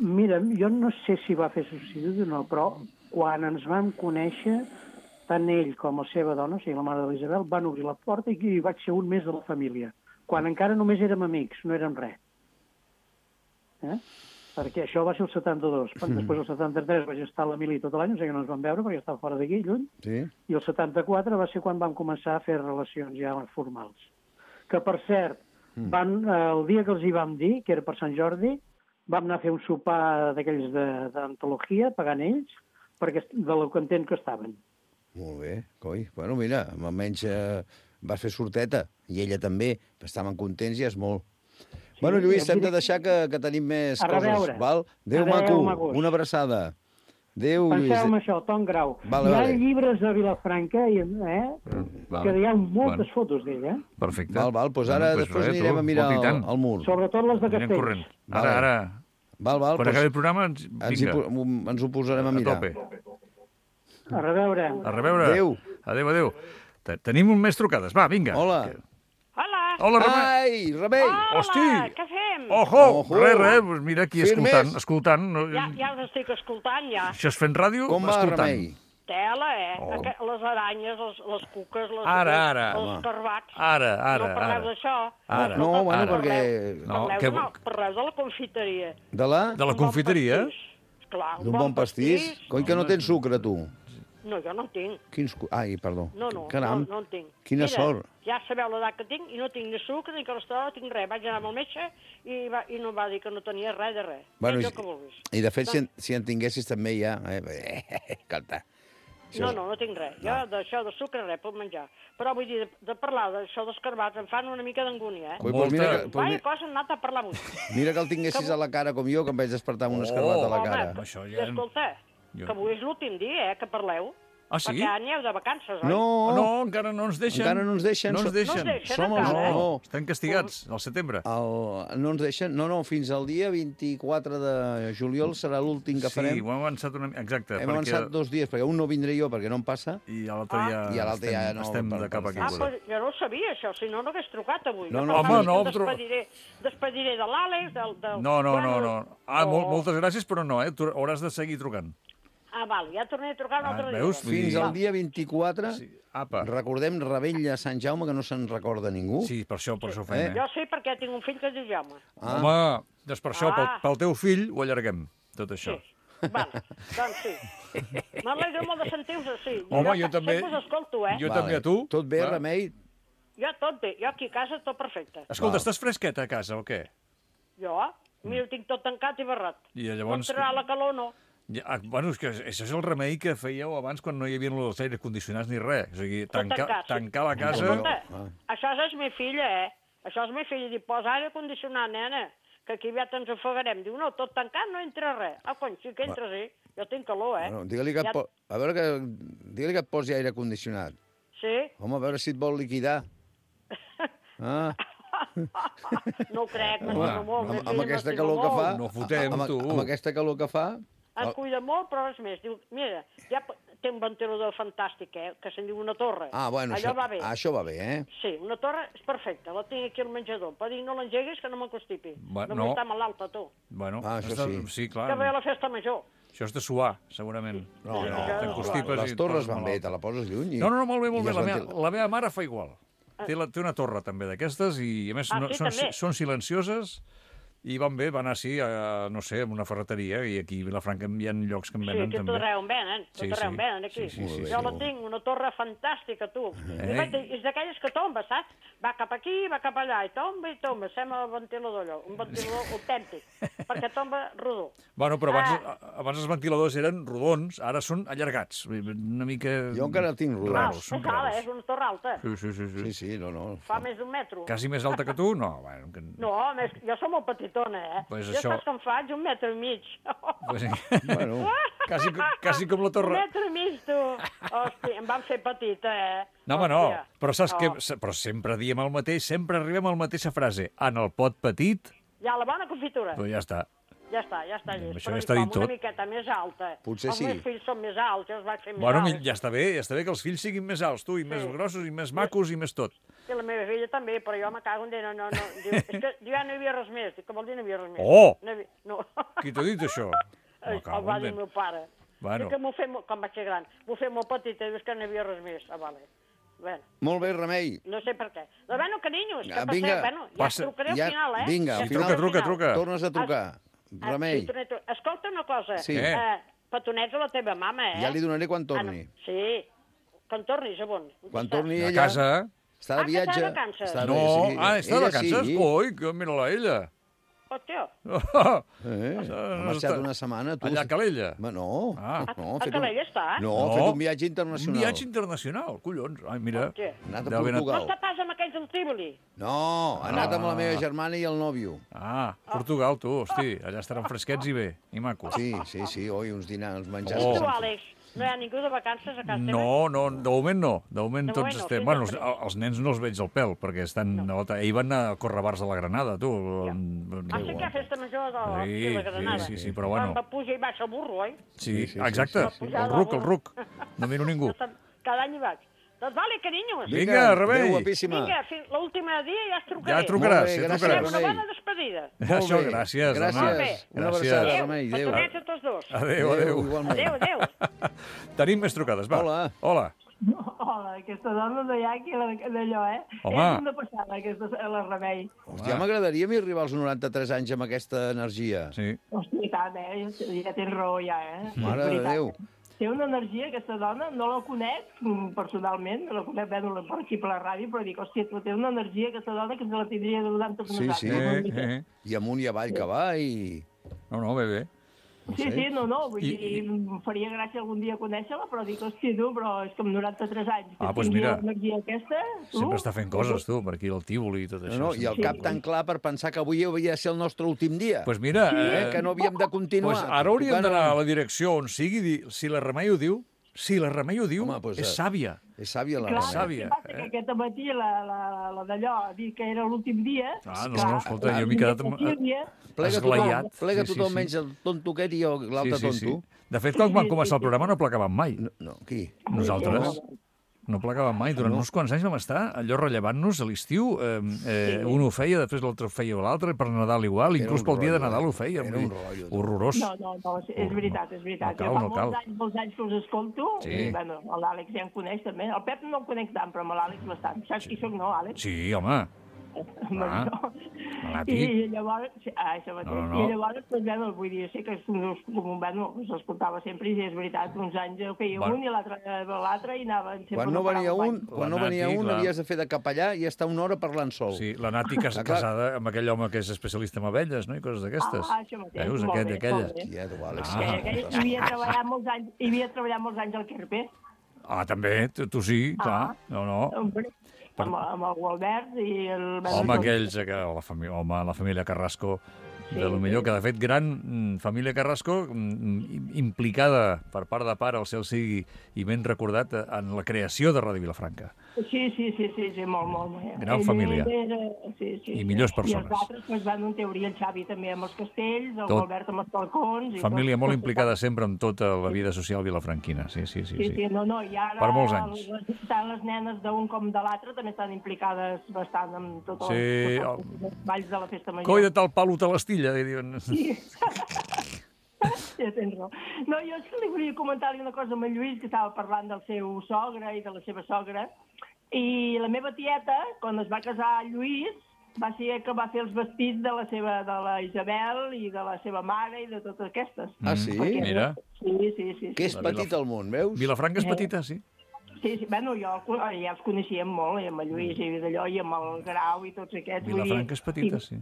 Mira, jo no sé si va fer substitut o no, però quan ens vam conèixer, tant ell com la seva dona, o sigui, la mare de l'Isabel, van obrir la porta i vaig ser un més de la família, quan encara només érem amics, no érem res. Perquè això va ser el 72. Després, el 73, vaig estar a la mili tot l'any, o sigui que no ens vam veure perquè estava fora d'aquí, lluny. Sí. I el 74 va ser quan vam començar a fer relacions ja formals. Que, per cert, el dia que els hi vam dir, que era per Sant Jordi, vam anar a fer un sopar d'aquells d'antologia, pagant ells, perquè de lo content que estaven. Molt bé, coi. Bueno, mira, almenys vas fer sorteta, i ella també. Estaven contents i és molt. Bueno, Lluís, hem de deixar que tenim més coses, val? Adéu, maco, una abraçada. Adéu, Lluís. Penseu en això, Tom Grau. Hi ha llibres a Vilafranca, que hi ha moltes fotos d'ell, Perfecte. Val, doncs ara després anirem a mirar el mur. Sobretot les de Castells. Ara. Val, quan acabi el programa, vinga. Ens ho posarem a mirar. A reveure. Adéu. Tenim un més trucades. Va, vinga. Hola, Remei. Ai, Remei. Hosti. Què fem? Ojo. Res, mira aquí escoltant. Ja us estic escoltant, ja. Això és fent ràdio, com va, Remei? Tela, les aranyes, les cuques, els escarbats. Ara. No parleu d'això. No, bueno, perquè... Parleu de la confiteria. De la? De la confiteria? Clar, d'un bon pastís? Coi que no tens sucre, tu? No, jo no en tinc. Ai, perdó. No Caram, en tinc. Quina sort. Ja sabeu l'edat que tinc i no tinc ni sucre, ni colesterol, no tinc res. Vaig anar amb el metge i no va dir que no tenia res de res. Bueno, que vulguis. I de fet, si en tinguessis també ja... Escolta. No tinc res. Jo d'això de sucre res puc menjar. Però vull dir, de parlar d'això d'escarbats em fan una mica d'angúnia, Vaya cosa, hem anat a parlar avui. Mira que el tinguessis a la cara com jo, que em vaig despertar amb un escarbat a la cara. I escolta, que avui és l'últim dia, que parleu. Ah, sí? Perquè aneu de vacances, oi? No, encara no ens deixen. Encara no ens deixen. No ens deixen. No. Estan castigats, al setembre. No ens deixen. No, fins al dia 24 de juliol serà l'últim que farem. Sí, ho hem avançat una mica. Exacte. Hem avançat 2 dies, perquè un no vindré jo, perquè no em passa. I a l'altre ja estem de cap aquí. Però jo no ho sabia, això, si no hagués trucat avui. Home, no. Despediré de l'Àlex, del... No. Moltes gràcies, però no, hauràs de seguir trucant. Val, ja tornaré a trucar un altre dia. Fins al dia 24, recordem Rebella a Sant Jaume, que no se'n recorda ningú. Sí, per això ho fem. Jo sé perquè tinc un fill que es diu Jaume. Home, doncs per això, pel teu fill, ho allarguem, tot això. Sí, doncs sí. M'alegro molt de sentir-vos així. Home, jo també. Sempre us escolto, Jo també a tu. Tot bé, Remei? Jo tot bé, jo aquí a casa tot perfecte. Escolta, estàs fresqueta a casa o què? Jo? Mira, tinc tot tancat i barrat. I llavors... No entrarà la calor, no. Bueno, és que això és el remei que fèieu abans quan no hi havia els aires condicionats ni res. O sigui, tancar la casa... Escolta, això és mi filla, Això és mi filla. Diu, posa aire condicionat, nena, que aquí aviat ens ofegarem. Diu, no, tot tancat no entra res. Cony, sí que entra, sí. Jo tinc calor, Bueno, digue-li que et posi aire condicionat. Sí? Home, a veure si et vol liquidar. No ho crec, Home, m'estimo molt. amb aquesta calor que fa... No fotem, tu. Amb aquesta calor que fa... Es cuida molt, però res més. Diu, mira, ja té un ventilador fantàstic, que se'n diu una torre. Ah, bueno, allò va bé. Això va bé, eh? Sí, una torre és perfecta, la tinc aquí al menjador. Per dir, no l'engeguis, que no m'encostipi. Bueno, no vull estar malalta, tu. Bueno, això sí. Sí, clar. Que ve a la festa major. Això és de suar, segurament. No, T'encostipes les i et torres poses van bé, malalt. te la poses lluny. No, molt bé, molt i bé. es La meva mare fa igual. Té una torre també d'aquestes i, a més, sí, són silencioses i van bé, van anar, no sé, a una ferreteria i aquí a Vilafranca hi ha llocs que en venen Sí, també. tot arreu en venen, aquí. Sí, Jo la tinc, una torre fantàstica, tu. És d'aquelles que tomba, saps? Va cap aquí, va cap allà, i tomba. Sembla el ventilador allò, un ventilador autèntic, perquè tomba rodó. Bueno, però abans els ventiladors eren rodons, ara són allargats. Una mica... Jo encara tinc rodons. És ala, és una torre alta. Sí, no. Fa més d'un metro. Quasi més alta que tu? No, bueno... No, jo som molt petitona, Pues jo saps com faig? 1,5 metres. Pues, Bueno, quasi com la torre... 1,5 metres, tu. Hòstia, em van fer petita, No, home, no. Però saps què? Però sempre diem el mateix, sempre arribem a la mateixa frase. En el pot petit... Hi ha la bona confitura. Doncs ja està. Ja està llest. Això Però ja està dit tot. una miqueta més alta. Potser sí. Els meus fills són més alts, jo els vaig fer més Bueno, alts. ja està bé que els fills siguin més alts, tu, i més grossos, i més macos, i més tot. I la meva filla també, però jo me cago en dir, no. Diu, és que ja no hi havia res més. Dic, que vol dir no hi havia res més? Oh! No. Qui t'ha dit això? El va dir el meu pare. Bueno. Dic que m'ho fer, com vaig ser gran, m'ho fer molt petita, dius que no hi havia res més. Vale. Bueno, molt bé, Remei. no sé per què. Però bueno, carinyos, que Vinga, ja trucaré al final, Vinga, al final. Truca. Tornes a trucar. Remei. Escolta una cosa. Sí. Petonets a la teva mama, Ja li donaré quan torni. Sí, quan tornis, a on? Quan torni A ella... casa. Està de viatge. que està de vacances. No, està de vacances? Ui, mira-la ella. Hòstia. Ha marxat una setmana. Allà a Calella. No. A Calella està? No, ha fet un viatge internacional. Un viatge internacional, collons. Ai, mira. Hòstia. Ha anat a Deu haver anat- No Portugal. està pas amb aquells del Tívoli? No, ha anat amb la meva germana i el nòvio. Portugal, tu, hosti. Allà estaran fresquets i bé, i macos. Sí, oi, uns dinars, uns menjars. I tu, Àlex? No hi ha ningú de vacances a casa teva? No, de moment no. De moment tots moment no, estem... fins Bueno, després. els nens no els veig al pèl, perquè estan... Ahir van a córrer bars de la Granada, tu. Sí que hi ha festa major de la Granada. Sí, però bueno. Quan va pujar i baixa el burro, oi? Sí, exacte. El ruc. No miro ningú. Cada any hi vaig. Doncs vale, carinyos. Vinga, Remei. Adéu, guapíssima. Vinga, l'última dia ja es trucaré. Ja trucaràs, Molt bé, ja gràcies, trucaràs. Una bona despedida. Això, gràcies. Gràcies. Una abraçada, Remei. Adéu. Petonets a tots dos. Adéu. Igualment. Adéu. Tenim més trucades, va. Hola. Hola, aquesta dona no hi ha aquí d'allò, Home. És una passada, la Remei. Hòstia, m'agradaria a mi arribar als 93 anys amb aquesta energia. Sí. Hòstia, i tant, ja tens raó, ja, Mare de Déu. Té una energia, aquesta dona, no la conec personalment, no la conec bé per aquí per la ràdio, però dic, hòstia, té una energia, aquesta dona, que se la tindria de donar tot Sí. I amunt i avall que va i... No, bé. Sí, no, vull dir, em faria gràcia algun dia conèixer-la, però dic, hòstia, tu, però és que amb 93 anys, que doncs tingui mira, l'energia aquesta... Sempre està fent coses, tu, per aquí al Tívoli i tot això. No, i el cap tan clar per pensar que avui havia de ser el nostre últim dia. Doncs mira... Que no havíem de continuar. Ara hauríem d'anar a la direcció on sigui, si la Remei ho diu, home, pues, és sàvia. És sàvia la Clar, Remei. el que passa que aquest matí la d'allò ha dit que era l'últim dia... No, escolta, jo m'he quedat esglaiat. Plega tothom menys el tonto aquest i l'altre tonto. De fet, quan vam començar el programa no plegàvem mai. No, qui? Nosaltres. No plegàvem mai. Durant uns quants anys vam estar allò rellevant-nos a l'estiu. Un ho feia, després l'altre ho feia l'altre, per Nadal igual, inclús pel dia de Nadal ho feia. Era un rotllo. Horrorós. No, és veritat. No cal. Molts anys que us escolto, i bueno, l'Àlex ja em coneix també. El Pep no el conec tant, però amb l'Àlex bastant. Saps qui soc, no, Àlex? Sí, home. I llavors, això mateix. I llavors, doncs, vull dir, sí que s'escoltava sempre, i és veritat, uns anys ho feia un i l'altre, i anaven sempre... Quan no venia un, havies de fer de capellà i estar una hora parlant sol. Sí, la Nati casada amb aquell home que és especialista en abelles, no?, i coses d'aquestes. Això mateix. Veus, aquella. I havia treballat molts anys al Querpé. També, tu sí, clar. No. Amb el Gualbert i el... Home, aquells, la família Carrasco, de lo millor, que de fet gran família Carrasco, implicada per part de pare, el cel sigui i ben recordat, en la creació de Ràdio Vilafranca. Sí, molt. Gran família. I millors persones. I els altres doncs, van en teoria el Xavi també amb els castells, el Albert amb els balcons... Família molt implicada sempre en tota la vida social vilafranquina, sí. Sí, no, i ara per molts anys. Tant les nenes d'un com de l'altre també estan implicades bastant en tots els balls de la festa major. Coi de tal palo te l'estilla, diuen. Sí. Ja tens raó. No, jo és que li volia comentar-li una cosa amb en Lluís, que estava parlant del seu sogre i de la seva sogra, i la meva tieta, quan es va casar Lluís, va ser que va fer els vestits de la Isabel i de la seva mare i de totes aquestes. Ah, sí? Mira. Sí. Que és petit el món, veus? Vilafranca és petita, sí. Sí, bueno, ja els coneixíem molt, amb el Lluís i d'allò, i amb el Grau i tots aquests. Vilafranca és petita, sí.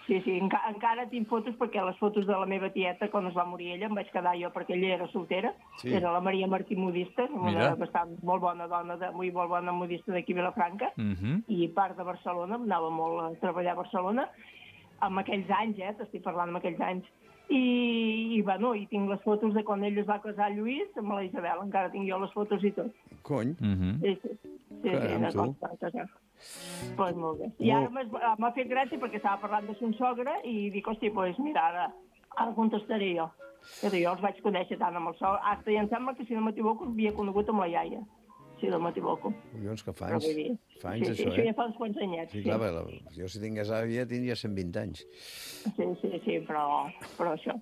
Sí, encara tinc fotos, perquè les fotos de la meva tieta, quan es va morir ella, em vaig quedar jo, perquè ella era soltera, era la Maria Martí Modista, una molt bona dona, molt bona modista d'aquí a Vilafranca, i part de Barcelona, anava molt a treballar a Barcelona, en aquells anys, t'estic parlant en aquells anys, i tinc les fotos de quan ell es va casar Lluís amb la Isabel, encara tinc jo les fotos i tot. Cony. Sí, no costa casar. Pues molt bé. I ara m'ha fet gràcia perquè estava parlant de son sogre i dic, hosti, mira, ara contestaré jo. Jo els vaig conèixer tant amb el sogre. Hasta i em sembla que, si no m'equivoco, havia conegut amb la iaia, si no m'equivoco. Collons, que fa anys. Fa anys, això, això ja fa uns quants anyets. Sí, clar, jo si tingués àvia tindria 120 anys. Sí, però això.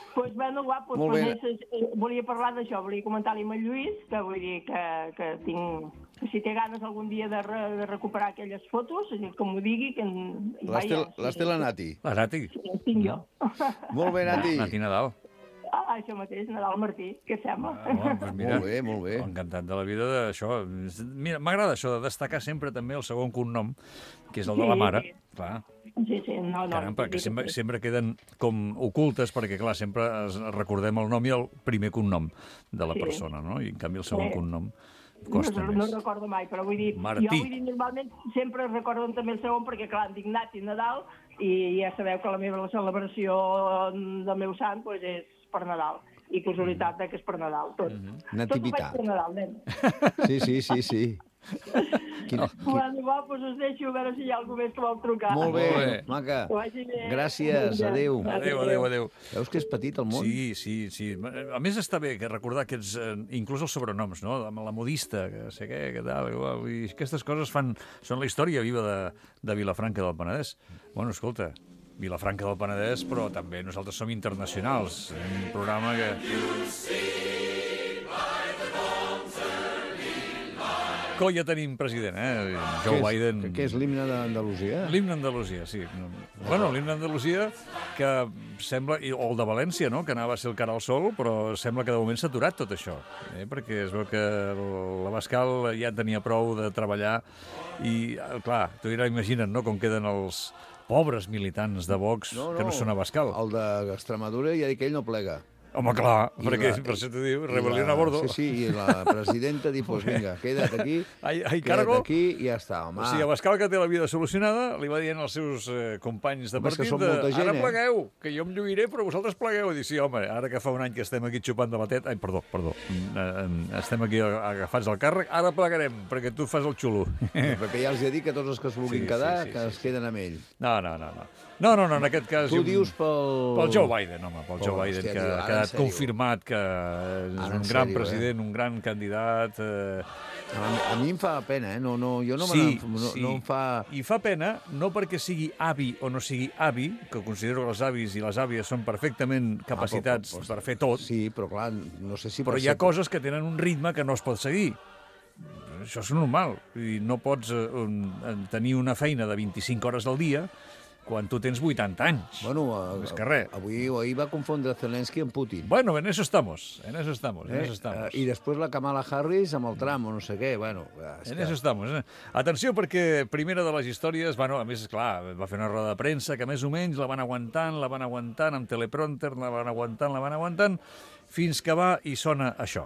Doncs, bueno, guapo, volia parlar d'això, volia comentar-li amb el Lluís, que vull dir que tinc... Si té ganes algun dia de recuperar aquelles fotos, que m'ho digui, que... Les té la Nati. La Nati? Sí, les tinc jo. Molt bé, Nati. Nati Nadal. Això mateix, Nadal Martí, què sembla? Mira, molt bé. Encantat de la vida d'això. Mira, m'agrada això de destacar sempre també el segon cognom, que és el de la mare. Clar. Sí, no. Caram, perquè sempre queden com ocultes, perquè, clar, sempre recordem el nom i el primer cognom de la persona, no? I, en canvi, el segon cognom costa més. No recordo mai, però vull dir... Martí. Jo vull dir, normalment sempre recordo també el segon, perquè, clar, em dic Nati Nadal, i ja sabeu que la meva celebració del meu sant és per Nadal. I casualitat que és per Nadal, tot. Nativitat. Tot ho faig per Nadal, nen. Sí. Bueno, doncs us deixo a veure si hi ha algú més que vol trucar. Molt bé, maca. Gràcies, adéu. Adéu. Veus que és petit el món? Sí. A més està bé que recordar aquests, inclús els sobrenoms, no? Amb la modista, que sé què tal, igual. I aquestes coses són la història viva de Vilafranca del Penedès. Bueno, escolta, Vilafranca del Penedès, però també nosaltres som internacionals. Un programa que... Ja tenim president, Joe Biden. Què és l'himne d'Andalusia? L'himne d'Andalusia, sí. Bueno, l'himne d'Andalusia, que sembla... O el de València, no?, que anava a ser el cara al sol, però sembla que de moment s'ha aturat tot això, perquè es veu que l'Abascal ja tenia prou de treballar i, clar, tu ja imagina't, no?, com queden els pobres militants de Vox que no són Abascal. El d'Extremadura ja dic que ell no plega. Home, clar, perquè per això t'ho diu, rebel·lión a bordo. Sí, i la presidenta diu, pues vinga, queda't aquí, queda't aquí i ja està, home. O sigui, Abascal, que té la vida solucionada, li va dient als seus companys de partit, ara plegueu, que jo em lluiré, però vosaltres plegueu. I diu, sí, home, ara que fa un any que estem aquí xupant de la teta, perdó, estem aquí agafats al càrrec, ara plegarem, perquè tu fas el xulo. Perquè ja els he dit que tots els que es vulguin quedar, que es queden amb ell. No, en aquest cas... Tu dius pel Joe Biden, home, pel Joe Biden, que ha quedat confirmat que és un gran president, un gran candidat... A mi em fa pena, jo no em fa... I fa pena, no perquè sigui avi o no sigui avi, que considero que els avis i les àvies són perfectament capacitats per fer tot. Sí, però clar, no sé si... Però hi ha coses que tenen un ritme que no es pot seguir. Això és normal. No pots tenir una feina de 25 hores al dia quan tu tens 80 anys. Bueno, més que res. Ahir va confondre Zelensky amb Putin. Bueno, en eso estamos. I després la Kamala Harris amb el Trump o no sé què. Bueno, en eso estamos. Atenció, perquè primera de les històries, a més, clar, va fer una roda de premsa que més o menys la van aguantant, amb teleprompter, la van aguantant, fins que va i sona això.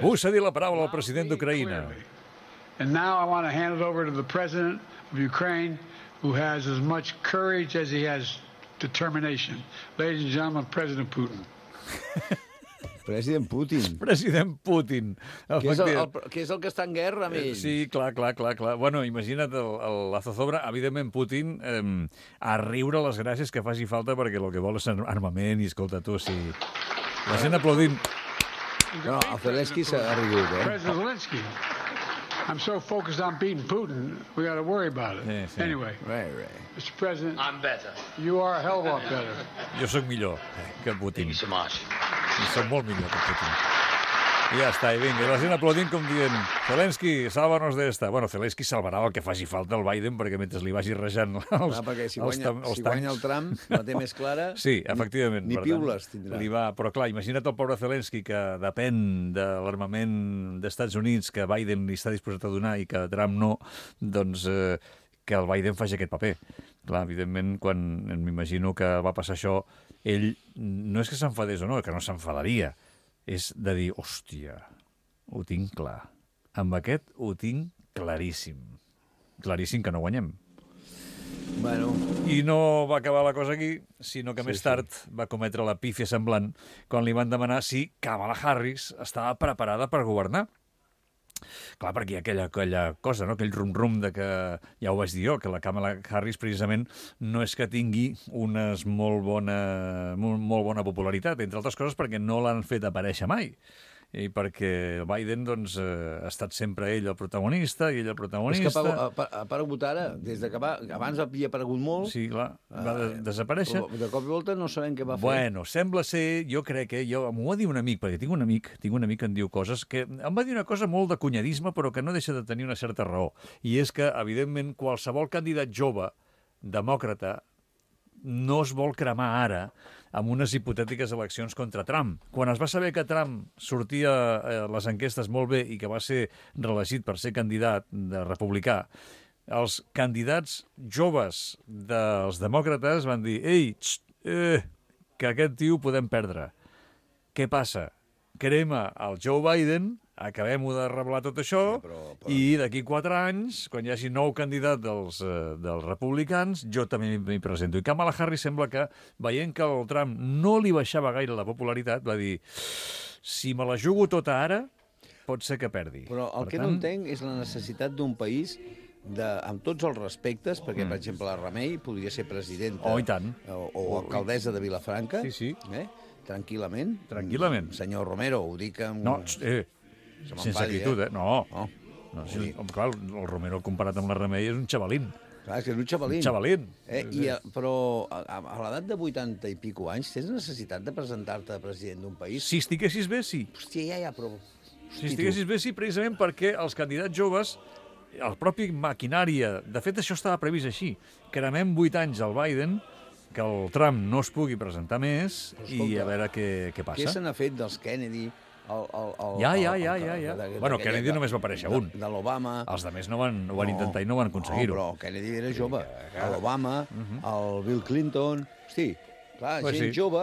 Vull cedir la paraula al president d'Ucraïna. And now I want to hand it over to the president of Ukraine, who has as much courage as he has determination. Ladies and gentlemen, President Putin. President Putin. President Putin. Que és el que està en guerra amb ell. Sí, clar. Bueno, imagina't la zozobra. Evidentment, Putin a riure les gràcies que faci falta perquè el que vol és armament i, escolta, tu, si... La gent aplaudint. No, el Zelensky s'ha rigut, President Zelensky. I'm so focused on beating Putin, we got to worry about it. Sí. Anyway, Right. Mr. President, I'm better. you are a hell of a lot better. Jo sóc millor que Putin. Thank you so much. I sóc molt millor que Putin. I ja està, i vinga. I la gent aplaudint com dient Zelensky, sálvanos d'esta. Bueno, Zelensky salvarà el que faci falta al Biden perquè mentre li vagi rejant perquè si guanya el Trump, la té més clara... Sí, efectivament. Ni piules tindrà. Però clar, imagina't el pobre Zelensky que depèn de l'armament dels Estats Units que Biden li està disposat a donar i que Trump no, doncs que el Biden faci aquest paper. Clar, evidentment, quan m'imagino que va passar això, ell no és que s'enfadés o no, que no s'enfadaria, és de dir, hòstia, ho tinc clar. Amb aquest ho tinc claríssim. Claríssim que no guanyem. Bueno. I no va acabar la cosa aquí, sinó que més tard va cometre la pífia semblant quan li van demanar si Kamala Harris estava preparada per governar. Clar, perquè hi ha aquella cosa, no? Aquell rum-rum de que, ja ho vaig dir jo, que la Kamala Harris precisament no és que tingui una molt bona popularitat, entre altres coses perquè no l'han fet aparèixer mai. I perquè Biden, doncs, ha estat sempre ell el protagonista, i ell el protagonista... És que ha aparegut ara, des de que abans havia aparegut molt... Sí, clar, va desaparèixer. De cop i volta no sabem què va fer. Bueno, sembla ser, jo crec que... M'ho va dir un amic, perquè tinc un amic que en diu coses, que em va dir una cosa molt de cunyadisme, però que no deixa de tenir una certa raó. I és que, evidentment, qualsevol candidat jove, demòcrata, no es vol cremar ara amb unes hipotètiques eleccions contra Trump. Quan es va saber que Trump sortia a les enquestes molt bé i que va ser reelegit per ser candidat de republicà, els candidats joves dels demòcrates van dir «Ei, que aquest tio podem perdre». Què passa? Crema el Joe Biden, acabem-ho de revelar tot això, i d'aquí 4 anys, quan hi hagi nou candidat dels republicans, jo també m'hi presento. I Kamala Harris sembla que, veient que el Trump no li baixava gaire la popularitat, va dir, si me la jugo tota ara, pot ser que perdi. Però el que no entenc és la necessitat d'un país amb tots els respectes, perquè, per exemple, la Remei podria ser presidenta i tant. O alcaldessa de Vilafranca, tranquil·lament. Tranquil·lament. Senyor Romero, ho dic amb... No, sense acritud, No. Clar, el Romero comparat amb la Remei és un xavalín. Clar, és que és un xavalín. Un xavalín. Però a l'edat de 80 i pico anys tens necessitat de presentar-te a president d'un país? Si estiguessis bé, sí. Hòstia, ja, però... Si estiguessis bé, sí, precisament perquè els candidats joves, el propi maquinària... De fet, això estava previst així. Cremem 8 anys al Biden, que el Trump no es pugui presentar més i a veure què passa. Què se n'ha fet dels Kennedy... Ja. Bueno, Kennedy només va aparèixer un. De l'Obama. Els altres no van intentar i no van aconseguir-ho. No, però Kennedy era jove. L'Obama, el Bill Clinton... Hosti, clar, gent jove,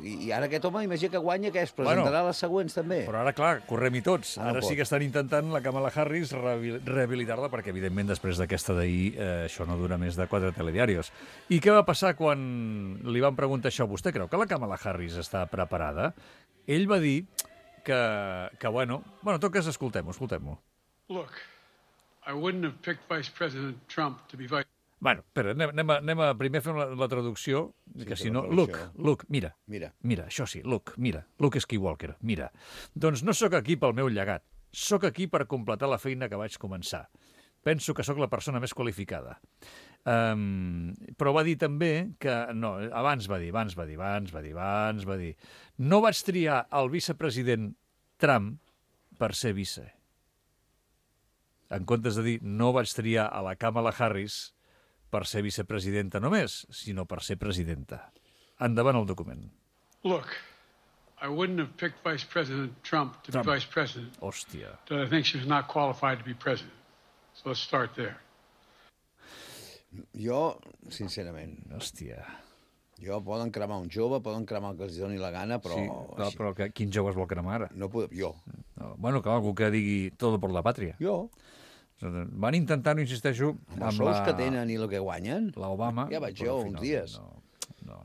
i ara aquest home, imagina que guanya, que es presentarà les següents també. Però ara, clar, correm-hi tots. Ara sí que estan intentant la Kamala Harris rehabilitar-la, perquè, evidentment, després d'aquesta d'ahir, això no dura més de 4 telediaris. I què va passar quan li van preguntar això? Vostè creu que la Kamala Harris està preparada? Ell va dir que bueno, tot cas, escoltem-ho. Look, I wouldn't have picked Vice President Trump to be vice... Bueno, espera, anem a primer fer la traducció, que si no... Look, mira, això sí, mira, Luke Skywalker, mira. Doncs no sóc aquí pel meu llegat, sóc aquí per completar la feina que vaig començar. Penso que sóc la persona més qualificada. Però va dir també que... No, abans va dir, no vaig triar el vicepresident Trump per ser vice. En comptes de dir, no vaig triar a la Kamala Harris per ser vicepresidenta només, sinó per ser presidenta. Endavant el document. Look, I wouldn't have picked Vice President Trump to be vice president. Hòstia. That I think she was not qualified to be president. So let's start there. Jo, sincerament... Hòstia. Jo, poden cremar un jove, poden cremar el que els doni la gana, però... Sí, però quin jove es vol cremar ara? No puc, jo. No, bueno, que algú que digui todo por la pàtria. Jo. Van intentar-ho, insisteixo, amb els sols que tenen i el que guanyen. L'Obama. Ja vaig jo uns dies. No.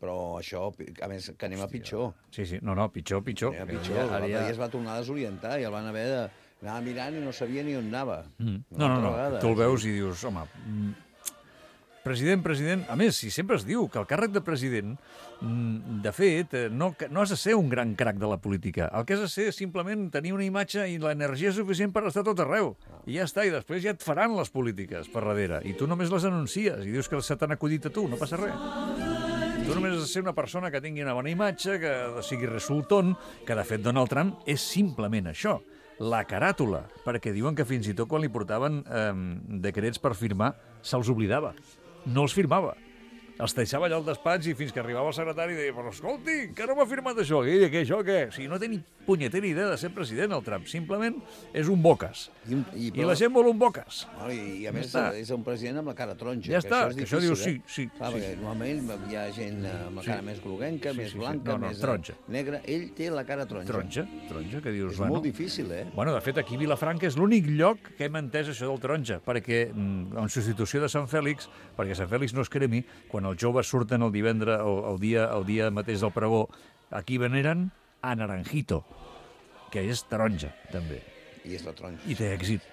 Però això, a més, que anem a pitjor. Sí, no, pitjor. Anem a pitjor. L'altre dia es va tornar a desorientar i el van haver d'anar mirant i no sabia ni on anava. No. Tu el veus i dius, home, president, a més, si sempre es diu que el càrrec de president, de fet, no has de ser un gran crac de la política. El que has de ser és simplement tenir una imatge i l'energia suficient per estar tot arreu. I ja està, i després ja et faran les polítiques per darrere. I tu només les anuncies i dius que se t'han acudit a tu, no passa res. Tu només has de ser una persona que tingui una bona imatge, que sigui resultón, que de fet Donald Trump és simplement això, la caràtula, perquè diuen que fins i tot quan li portaven decrets per firmar, se'ls oblidava. No els firmava. Els deixava allà al despatx i fins que arribava el secretari i deia, però escolti, que no m'ha firmat això. I què, això què? O sigui, no té ni punyetera idea de ser president, el Trump. Simplement és un bocas. I la gent vol un bocas. I a més és un president amb la cara taronja. Ja està, que això diu sí. Perquè normalment hi ha gent amb la cara més groguenca, més blanca, més negra. Ell té la cara taronja. Taronja, que dius... És molt difícil, Bueno, de fet, aquí a Vilafranca és l'únic lloc que hem entès això del taronja, perquè en substitució de Sant Fèlix, perquè Sant Fèlix no es cremi, quan els joves surten el divendres o el dia mateix del pregó, aquí veneren a Naranjito, que és taronja, també. I és la taronja. I té èxit.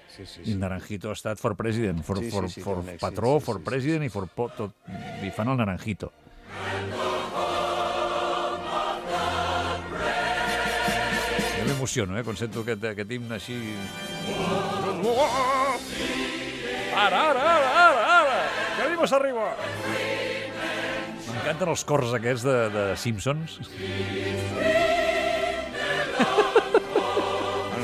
I Naranjito ha estat for president, for patró, for president i for tot. I fan el Naranjito. Jo m'emociono, quan sento aquest himne així... Ara! Que animes arriba! M'encanten els cors aquests de Simpsons.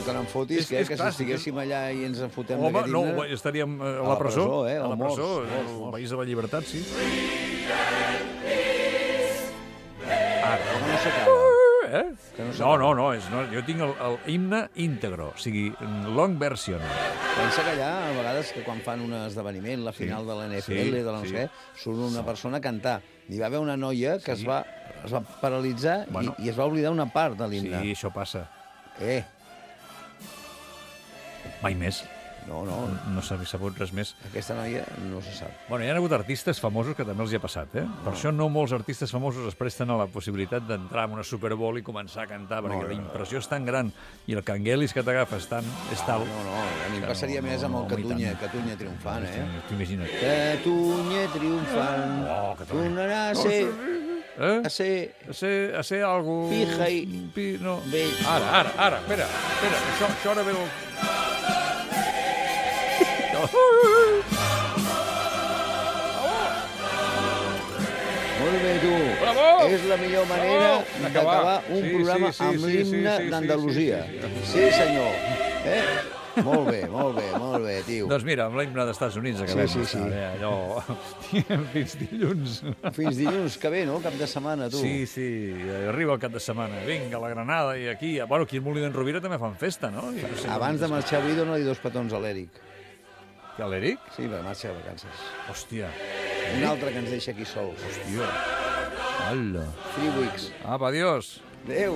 Que no em fotis, que si estiguéssim allà i ens en fotem d'aquest himne... Home, no, estaríem a la presó. A la presó, al País de la Llibertat, sí. Ara, com no s'acaba. No, jo tinc el himne íntegro, o sigui, long version. Pensa que allà, a vegades, que quan fan un esdeveniment, la final de la NFL, de la no sé què, surt una persona a cantar. Hi va haver una noia que es va paralitzar i es va oblidar una part de l'himne. Sí, això passa. Mai més. No s'ha sabut res més. Aquesta noia no se sap. Bueno, hi ha hagut artistes famosos que també els hi ha passat, Per això no molts artistes famosos es presten a la possibilitat d'entrar en una Super Bowl i comenar a cantar, perquè la impressió és tan gran i el canguelis que t'agafa és tal... No, a mi em passaria més amb el Catalunya triomfant, T'imagina't. Catalunya triomfant, tornarà a ser algo... Pija i... No. Ara, espera, això ara ve el... Molt bé, tu. Bravo! És la millor manera d'acabar un programa amb l'himne d'Andalusia. Sí, senyor. Molt bé, tio. Doncs mira, amb l'himne dels Estats Units acabem. Sí. Allò... Fins dilluns. Fins dilluns, que bé, no? Cap de setmana, tu. Sí, arriba el cap de setmana. Vinga, la Granada i aquí... Bueno, aquí al Molí d'en Rovira també fan festa, no? Abans de marxar avui dona-li 2 petons a l'Eric. Que a l'Eric? Sí, per marxa de vacances. Hòstia. Un altre que ens deixa aquí sols. Hòstia. Hola. 3 weeks. Apa, adiós. Adéu.